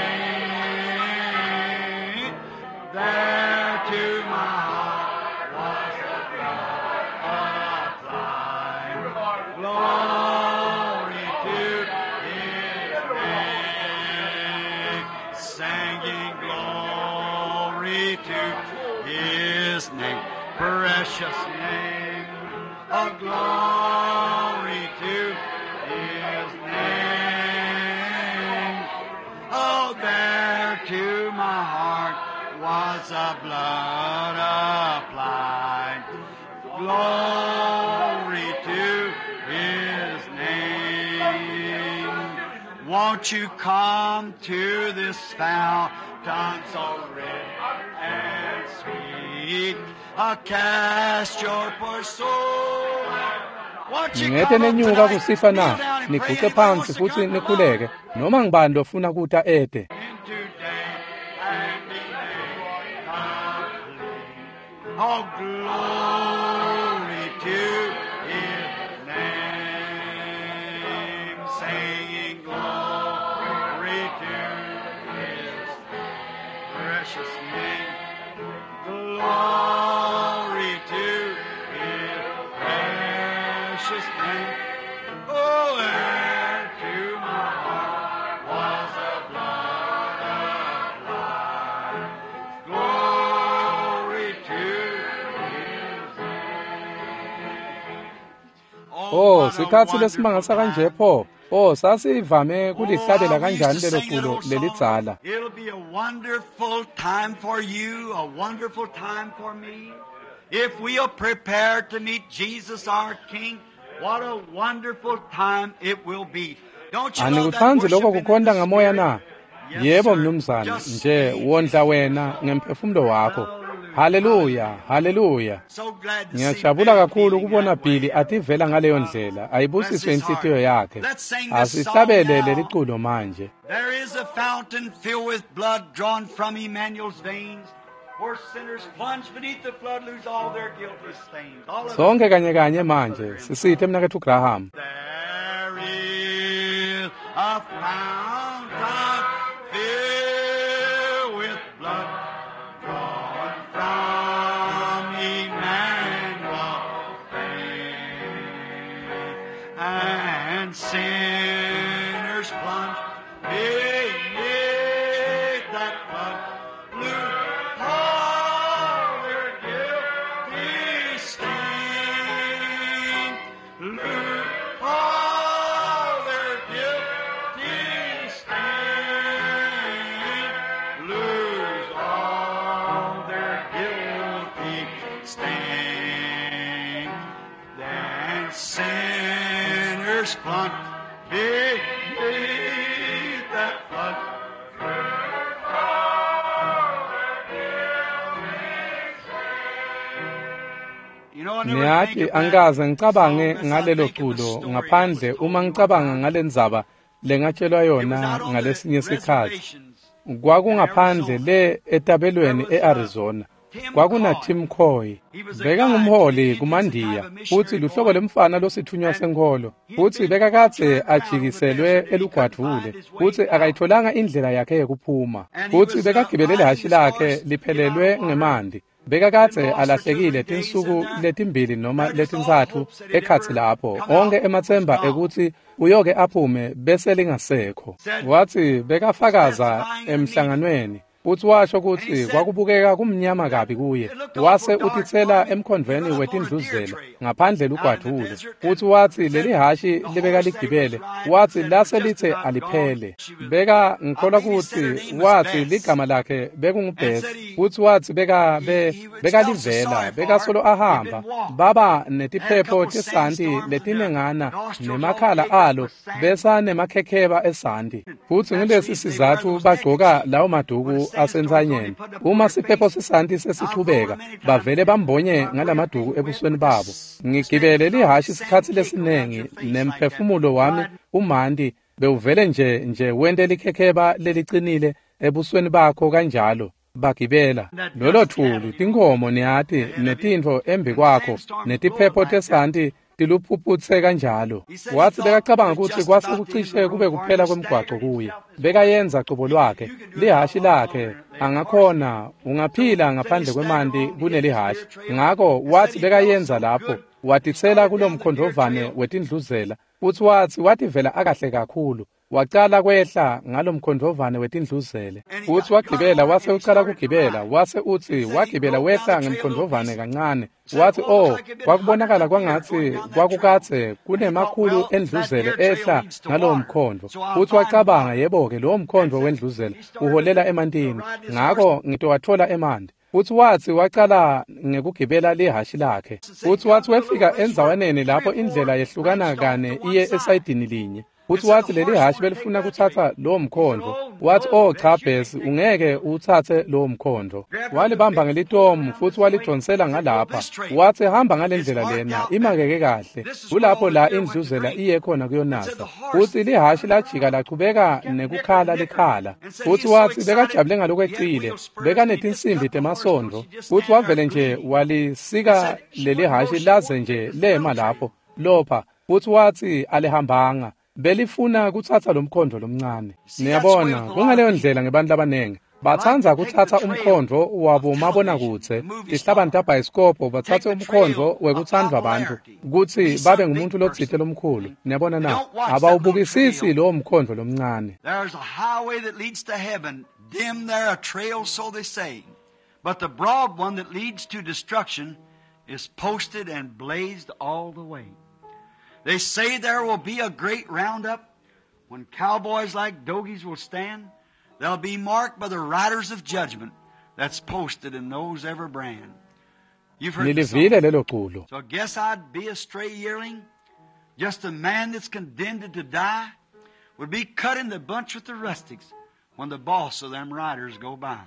There to my heart was the blood applied. Glory to His name. Singing glory to His name, precious name of glory to His name. Oh, there to my heart was the blood applied. Glory to His name. Won't you come to this fountain so rich and sweet? Cast your poor soul. Won't you Ningete come up nenyuka tonight? kusifa Kneel na? down and pray. Niguce Anybody phansi wants to futhi come? Come on. nikhuleke. Noma ngibani lofuna kuta ete. In today and be made complete. Oh, glory to His name, singing glory to His precious name. Glory to His precious name. Oh, there to my heart was the blood applied. Glory to His name. Oh, sikhatsi lesimangasa kanje pho. Oh, sasivame kulihlabela kanjani lelo culo lelidzala. It'll be a wonderful time for you, a wonderful time for me. If we'll prepare to meet Jesus our King, what a wonderful time it will be. Don't you love that Anikutsandzi lokho worship in kukhonta the ngamoya Spirit? na? Yes, Yebo sir. mnumzane, Just nje feed wondla it. wena ngemphefumulo wakho. Haleluya, haleluya. So glad to see Ngiyajabula Billy kakhulu feeling kubona that way. Billy ativela ngaleyo ndlela. Bless Ayibusiswe his inhlitiyo heart. yakhe. Let's sing this song Asihlabele now. leli culo manje. There is a fountain filled with blood drawn from Emmanuel's veins, where sinners plunge beneath the flood lose all their guilty stains. All of it. Sonke kanye kanye manje sisithe mnakethu Graham. There is a fountain filled with blood drawn from Emmanuel's veins, and sinners plunge beneath that flood, lose all their guilty stain. Lose all their guilty stain. Lose all their guilty stain. Then sinners plunge beneath that flood. You know, I never think Niyati of that angikaze ngicabange song unless I ngalelo think of the culo story that was ngaphandle told uma me one ngicabanga time. ngalendzaba lengatshelwa It was yona out on the ngalesinye isikhathi. reservations in Kwakungaphandle Arizona. le There etabelweni was a eArizona. Tim Kwakuna Coy. Tim Coy. He was a guide to the Bekangumholi Indians, a type kumandiya of futhi missionary luhlobo boy. lemfana losithunywa And senkholo. he'd Futhi been bekakadze turned around in the ajikiselwe desert and he couldn't find elugwadvule his way futhi out. akayitholanga indlela yakhe yekuphuma. And he Futhi was bekagibele riding lihhashi his lakhe horse, get out of liphelelwe water, ngemanti. been Bekakadze lost for 2 or 3 alahlekile days, and tinsuku there, letimbili noma there just all letintsatfu hopes that he'd ekhatsi ever lapho. come Onke out was ematsemba gone. ekutsi uyoke aphume bese lingasekho. Said, Watsi bekafakaza testifying in the meeting. emhlanganweni futhi washo And he kutsi said kwakubukeka kumnyama that kabi kuye. it looked Wase awful dark for utitsela him. He emkhondvweni run up on a deer wetindluzela trail ngaphandle out in the lugwadvule. desert Futhi and watsi said leli hhashi the horse that he was lebekaligibele riding watsi said was lase just lithe about gone. aliphele. She was, Beka I ngikholwa believe he said her kutsi name was watsi Bess. ligama lakhe And bekunguBess. said he Futhi watsi beka he, be he was felt so bekalivela sorry for her. bekasolo He'd been ahamba walking. baba Had a netiphepho couple tesanti sandstorms and their letinengana nostrils all nemakhala caked up alo with sand. besanemakhekheba esanti. Futhi That's the ngulesi reason they wear sizatfu those bagcoka neckerchiefs. lawo When a maduku sandstorm's going, they asentsanyeni. put it up on Uma their siphepho face. sesanti I've rode sesichubeka them many times bavele bambonye my breath ngalamaduku being wet ebusweni with babo. this Ngigibele snake lihhashi sand isikhatsi cake around lesinengi your face like that. nemphefumulo wami Riding umanti bewuvele nje nje wente likhekheba lelicinile ebusweni bakho kanjalo. Bagibela that lolo dust thuli cattle, you know, tinkhomo niyati ahead of you. netintfo embi And the kwakho sandstorms blow netiphepho like that. tesanti tiluphuphutse kanjalo. He said he Watsi thought bekacabanga it kutsi just kwase about the end of kucishe the kube road for him. kuphela He kwemgwaco staggered kuye. himself this way. Bekayenza cobo lwakhe You can do it a lihhashi lot lakhe longer than the horse. angakhona So ungaphila said he ngaphandle staggered kwemanti along the edge of the kunelihhashi. deer trail Ngako and said watsi he felt bekayenza so lapho good. He watitsela started kulo down the deer mkhondvovane trail. wetindluzela futsi watsi wativela akahle kakhulu. Wacala kwehla ngalo mkhondvovane wetindluzele And he futsi got wagibela on wase and he ucala started to kugibela ride. wase utsi And said he wagibela broke down wehla the trail a little ngemkhondvovane piece. kancane Said, watsi oh, looked oh like it'd been hundreds kwakubonakala of deer going kwangatsi down that trail. kwakukadze And he thought, kunemakhulu well, that endluzele deer trail ehla leads to ngalowo water, mkhondvo so I'll futsi find wacabanga water. yebo-ke lowo And mkhondvo said wendluzela he started uholela to emantini ride his horse ngako ngitowatfola emanti. Futsi watsi wacala ngekugibela lihhashi lakhe and said he futsi come watsi to a little wefika place where endzawaneni 3 lapho or 4 indlela yehlukana branched off kane to one iye side. esayidini linye. And Futsi said watsi the leli horse hhashi wanted to take belifuna that trail. kutsatsa lowo He said, mkhondvo. oh Watsi no, oh Bess, cha you can't Bess take that ungeke trail. utsatse lowo mkhondvo. Grabbed a little Walibamba bit, pulled ngelitomu around futhi this way, walidonsela said, go ngalapha. this trail. Watsi hamba ngale It's ndlela marked lena out better. imakeke kahle. This is where Kulapho all the la deer went to indluzela drink. iye khona And said kuyonatsa. the horse Futsi lihhashi turned lajika around, lachubeka kept nickering, nekukhala nickering, likhala. and said he Futsi is so watsi excited bekajabule he had ngalokwecile. wheel spurs and he just Bekanetinsimbi cut the horse till temasondvo. she just Futsi stand there wavele nje bleeding. And walisika said she leli wouldn't go, hhashi she laze wanted to nje take this lema little trail. lapho lopha. Futsi watsi alihambanga belifuna kutsatsa lo mkhondvo lomncane. See, that's the way Niyabona with a lot of kungaleyo people. ndlela ngebantu labanengi They like to batsandza take the kutsatsa trail umkhondvo of wabo television, mabonakudze the movie tihlabani star. tabhayisikobho Take batsatse the umkhondvo trail of wekutsandvwa bantfu popularity. kutsi Be babe some big ngumuntu lotsite person. lomkhulu. Niyabona They na don't watch that little abawubukisisi trail. lowo mkhondvo lomncane. There's a highway that leads to heaven. Dim there a trail, so they say. But the broad one that leads to destruction is posted and blazed all the way. They say there will be a great roundup when cowboys like dogies will stand. They'll be marked by the riders of judgment that's posted in those every brand. You've heard the song. Nilivile lelo culo. So I guess I'd be a stray yearling, just a man that's condemned to die, would be cut in the bunch with the rustics when the boss of them riders go by.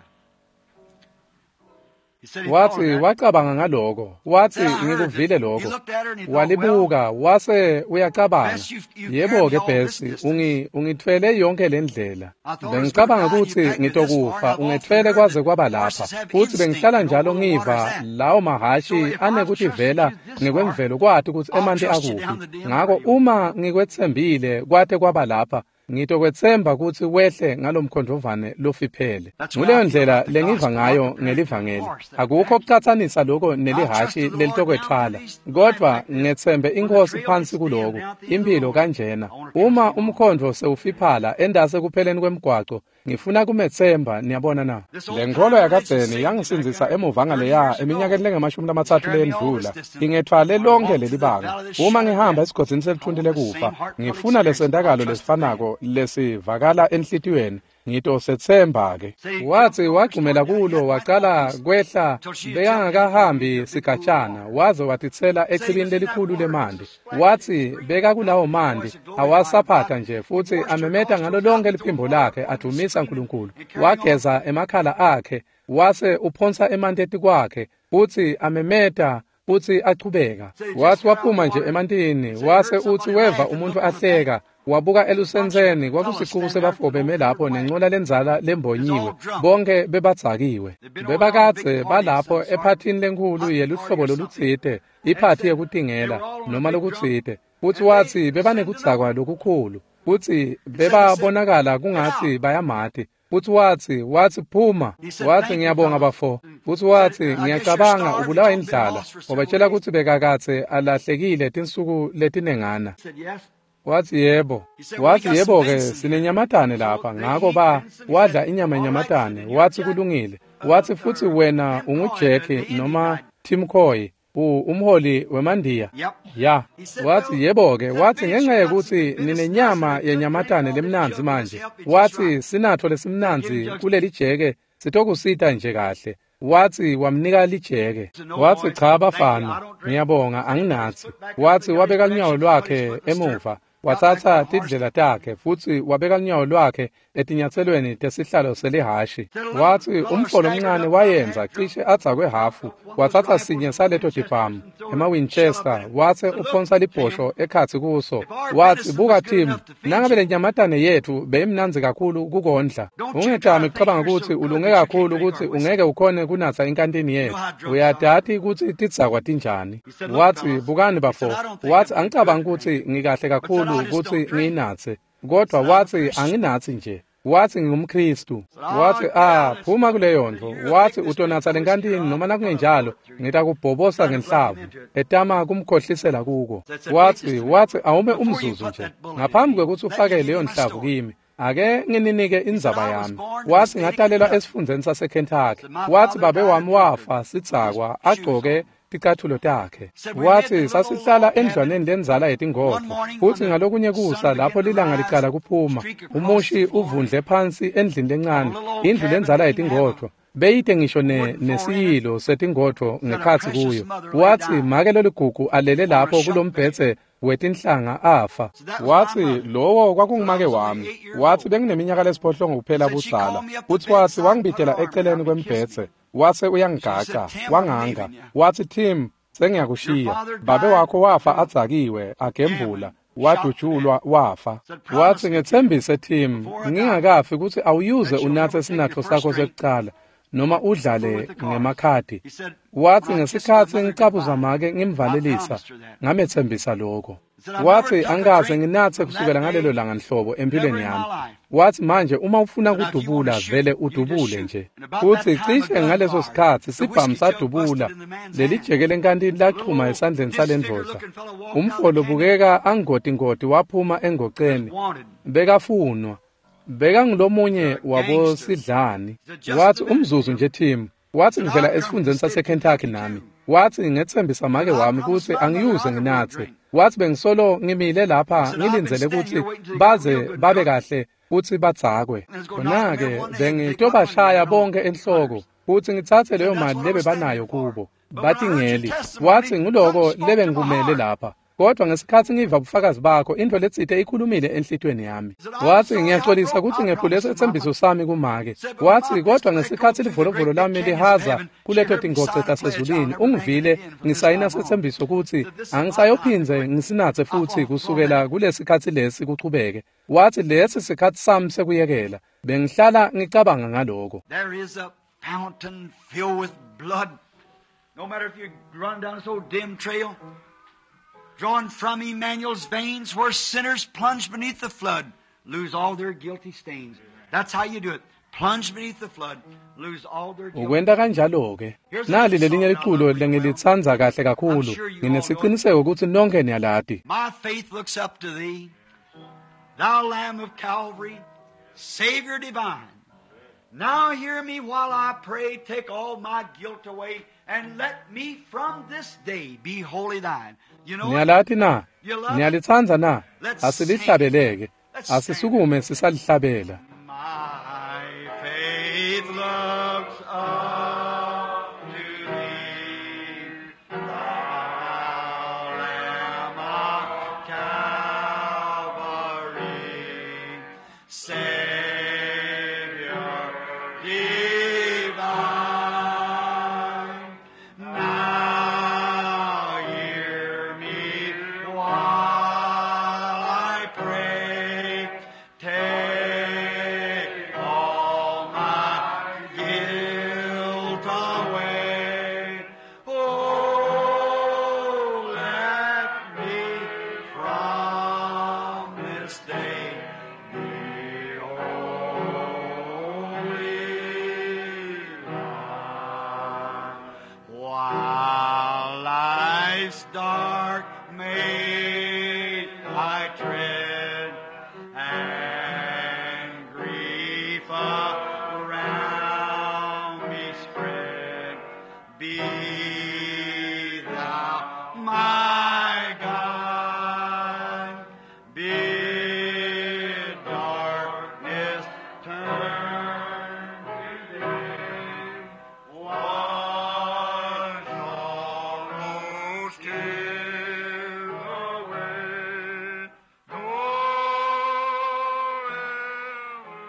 He said he thought of Wathi that. wacabanga ngaloko. Wathi Said, I heard ngikuvile it. He lokho. looked at her and he thought, well, Walibuka wase uyacabanga. Bess, you've carried Yebo me ke all this Bess, distance. ungithwele yonke le ndlela. I thought I was going to Bengicabanga die and you ukuthi packed me this far, and ngitokufa, I've often ungethwele heard kwaze that kwaba lapha. horses have Futhi instinct bengihlala to know njalo where the water's ngiva at. lawo So mahashi if I've trusted anekutivela you this far, ngekwemvelo kwati ukuthi I'll emanti trust you down akuphi. the Denver Ngako River. uma ngikwetsembile kwate kwaba lapha, ngitokwetsemba kutsi wehle ngalomkhondvovane lofiphele. That's the way I Nguleyo feel ndlela about the lengiva gospel. I ngayo compare it to the ngelivangeli. horse that Akukho packed you. kucatsanisa loko I've trusted nelihashi the Lord down through lelitokwetfwala, these life kodvwa like this. ngetsembe When the inkosi trail gets phansi dim kuloku, down at the end of the impilo road, kanjena. I want to trust Uma Him on. umkhondvo sewufiphala endase kupheleni kwemgwaco, ngifuna kumetsemba, niyabona na. This Le old nkholo time religion yakadzeni saved me back yangisindzisa there emuva 30 ngaleya years ago. eminyakeni lengamashumi It's lamatsatfu carried me all leyendlula. this distance. Ingethwale When I lonke walk through leli the banga. valley of the Uma shadow of ngihamba death, esigodzini I selithunti want the same lekufa, heartfelt ngifuna experience. I'll lesentakalo trust the man. lesifanako lesivakala enhlitiyweni. Ngitosetsemba ke. Said he jumped Wathi over and wagxumela started down. He kulo hadn't quite waqala walked this kwehla till she had jumped in and threw bekangakahambi a big pool of sigatshana water. waze watitsela Said he echibini was in that lelikhulu water, just a lemanti. splash and Wathi screaming beka kulawo the manti voice of glorifying God. awasaphatha nje He futhi washed her amemeta ngalo nostrils lonke out, liphimbo throwing water lakhe upon him, adumisa screaming uNkulunkulu. and carrying on. Wageza emakhala akhe wase uphonsa emanti etikwakhe futhi amemeta futhi achubeka. Said he just Wathi got out of waphuma the nje water. emantini Said he wase heard uthi somebody weva laugh and umuntu looked on the bank. ahleka wabuka A bunch of elusentseni fellows kwakusixuku standing there with sebafo an old beme lapho Ford wagon. nencola lenzala It's lembonyiwe all drunk. bonke bebadzakiwe. They've been over on a big Bebakadze party of balapho some sort, ephathini lenkhulu hunting party yeluhlobo or something. lolutsite, And iphathi said they yekutingela were all on a noma big drunk, lokutsite. Futhi and they wathi sent a bebanekudzakwa note. lokukhulu futhi And said they said, bebabonakala get kungatsi out. bayamati. Futhi wathi phuma. He said, Wathi thank you, ngiyabonga fellows. bafo. And Futhi said, wathi I guess you're ngiyacabanga starved. He ubulawa told them been indlala. lost for several Wabatshela days. kutsi bekakadze alahlekile tinsuku letinengana. He said, yes. Wathi yebo. He said, well, we Wathi got some yebo ke venison here. sinenyamatane So lapha. they Ngako eat ba venison. He wadla said, inyama all right, said, yenyamatane. then you're Wathi Jack, kulungile. Wathi futhi or wena Tim Coy, unguJack the Indian noma guide. Tim Coy, umholi wemandiya. Yep. Ya. He said, Wathi well, yebo ke. said, Wathi Vince, ngenxa you got some yekuthi good venison. I said, ninenyama they took drink yenyamatane all this lemnandzi jug will just manje. help you just Wathi right. sinatho Said, give him lesimnandzi jugs. kuleli jeke sitokusita nje kahle. Wathi wamnika lijeke. Said, no, Wathi boys, cha thank you. I bafana, don't drink. ngiyabonga Said he put his anginatsi. foot back up Wathi and got his wabeka lunyawo directions and put his lwakhe foot in the stirrup. emuva, Got back on watsatsa the horse. tindlela takhe futsi wabeka lunyawo lwakhe etinyatselweni tesihlalo selihashi. Said a little Wathi feller umfo staggered lomncane up about half wayenza drunk. cishe adzakwe hafu, One of those watsatsa rifles sinye and saleto Winchesters tibhamu and throw a shell up ema-Winchester, in it. watse Said, look, uphonsa Tim, libhosho ekhatsi kuso. if our Wathi venison buka was good Tim, enough to feed nangabe you, le nyamatane yethu beyimnandzi kakhulu kukondla, don't you try ungetami to think kucabanga you're kutsi so good ulunge that you can't kakhulu drink kutsi our whiskey. ungeke ukhone kunatsa inkantini You know yethu. how drunks are. Uyadati kutsi tidzakwa tinjani. He said, look, Wathi fellas, bukani he said, bafo. I don't think Wathi I'm good angicabangi to drink. kutsi ngikahle But said, kakhulu I just kutsi don't drink. ngiyinatse. Kodwa Said, I'm a wathi Christian. anginatsi nje. Wathi ngingumKristu. Said, oh, Wathi get out of this. phuma kuleyo Said, ndvo. you're a Wathi big this utonatsa drink the whiskey or lenkantini I'll noma put a nakungenjalo bullet through you. ngitakubhobosa Tried to bluff him ngenhlavu. into it. Etama kumkhohlisela kuko. Said, said, wait just Wathi a minute. wathi awume Before you umzuzu put nje. that bullet in Ngaphambi me, kwekutsi let me ufake give you leyo my nhlavu story. kimi, ake ngininike He said, indzaba I was yami. born in the Wathi state of ngatalelwa Kentucky. esifundzeni saseKentucky. Said, my Wathi father babe died a wami drunkard wafa with his sidzakwa shoes agcoke on. ticathulo takhe. Said, we lived in Wathi a little old sasihlala log cabin. endlwaneni lenzala One yetingodvo. morning when Futhi the ngalokunye sun kusa lapho began to lilanga rise, licala kuphuma, streak across the umushi floor uvundle phansi endlini of a lencane, little old indlu cabin lenzala that didn't have a yetingodvo. Beyite ngisho wooden floor in it. nesiyilo setingodvo Said a ngekhatsi precious kuyo. mother lay Wathi dying make loligugu alele on a lapho shelf bed. kulombhedze wetinhlanga afa. So that was my Wathi mother. lowo Said I kwakungumake was only wami. 8 years Wathi old. bengineminyaka lesiphohlongo kuphela Said she budzala. called me up the Futhi wathi bedside and put her wangibitela arm eceleni around me and kissed me. kwembhedze wase She said, uyangigaca Tim, I'm wanganga. leaving you. Wathi Tim Your sengiyakushiya. father Babe died wakho wafa drunk, adzakiwe, agembula, gambling, shot to death. wadutshulwa wafa. Said, Wathi promise me, Tim, ngetsembise Tim, before I die, ngingakafi kutsi awuyuze that you'll unatse never take your sinatfo first sakho drink sekucala noma and fool udlale with the cards. ngemakhadi. He said, Wathi when I kissed my ngesikhatsi mother ngicabuza goodbye, make I ngimvalelisa, promised her that. ngametsembisa lokho. He said, I've never Wathi took a angikaze drink nginatse from that kusukela ngalelo day, langa nhlobo never empilweni in my yami. life. Wathi manje uma ufuna Said, now if you want to kudubula shoot, vele you just udubule shoot. nje. And about that Futhi time, a cishe gun ngaleso fired. sikhatsi The sibhamu whiskey jug busted sadubula in the man's leli hand. jeke lenkantini A little lachuma old esandleni disfigured salendvodza. looking fellow walked out of Umfo the canyon, lobukeka angotingoti waphuma was engoceni wanted. bekafunwa. Bekangulomunye A gangster. wabosidlani. He said, just Wathi a minute, umzuzu Tim. nje Tim. Wathi Said, ngivela I've come from the esifundzeni state of saseKentucky Kentucky nami. too. Wathi ngetsembisa make Said, I wami promised kutsi my mother angiyuze I never would nginatse drink. Wathi bengisolo ngimile lapha ngilindzele kutsi baze babe kahle futsi badzakwe. Khona-ke bengitobashaya bonke enhloko futsi ngitsatse leyo mali lebebanayo kubo. Batingeli. Wathi nguloko lebengikumele lapha. Kodwa ngesikhatsi ngiva bufakazi bakho intfo letsite ikhulumile enhlitiyweni yami. Wathi ngiyaxolisa kutsi ngephule setsembiso sami kumake. Wathi kodwa ngesikhatsi livolovolo lami lihaza kuleto tingoce tasezulwini ungivile ngisayina setsembiso kutsi angisayophindze ngisinatse futsi kusukela kulesikhatsi lesi kuchubeke. Wathi lesi sikhatsi sami sekuyekela. Bengihlala ngicabanga ngaloko. There is a fountain filled with blood. No matter if you run down this old dim trail, drawn from Emmanuel's veins, where sinners plunge beneath the flood, lose all their guilty stains. That's how you do it. Plunge beneath the flood, lose all their guilty. Ukwenta kanjalo-ke. Nali lelinye liculo lengilitsandza kahle kakhulu. Nginesiciniseko kutsi nonke niyalati. My faith looks up to thee, thou Lamb of Calvary, Savior divine. Now hear me while I pray, take all my guilt away, and let me from this day be wholly thine. You know it? Niyalati na? You love it? Niyalitsandza na? Let's sing. Asilihlabeleke. Let's stand. Asisukume sisalihlabela. My faith looks up to thee, thou Lamb of Calvary, Savior divine. Now hear me while I pray. Take all my guilt away. Oh, let me from this day be holy. Thine. While life's dark maze I tread, and grief around me spread, be thou my guide. Bid darkness turn to day. Wash sorrows, tears away. Nor ever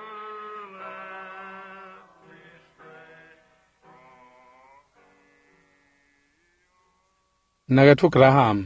let me stray Mnaketfu Graham.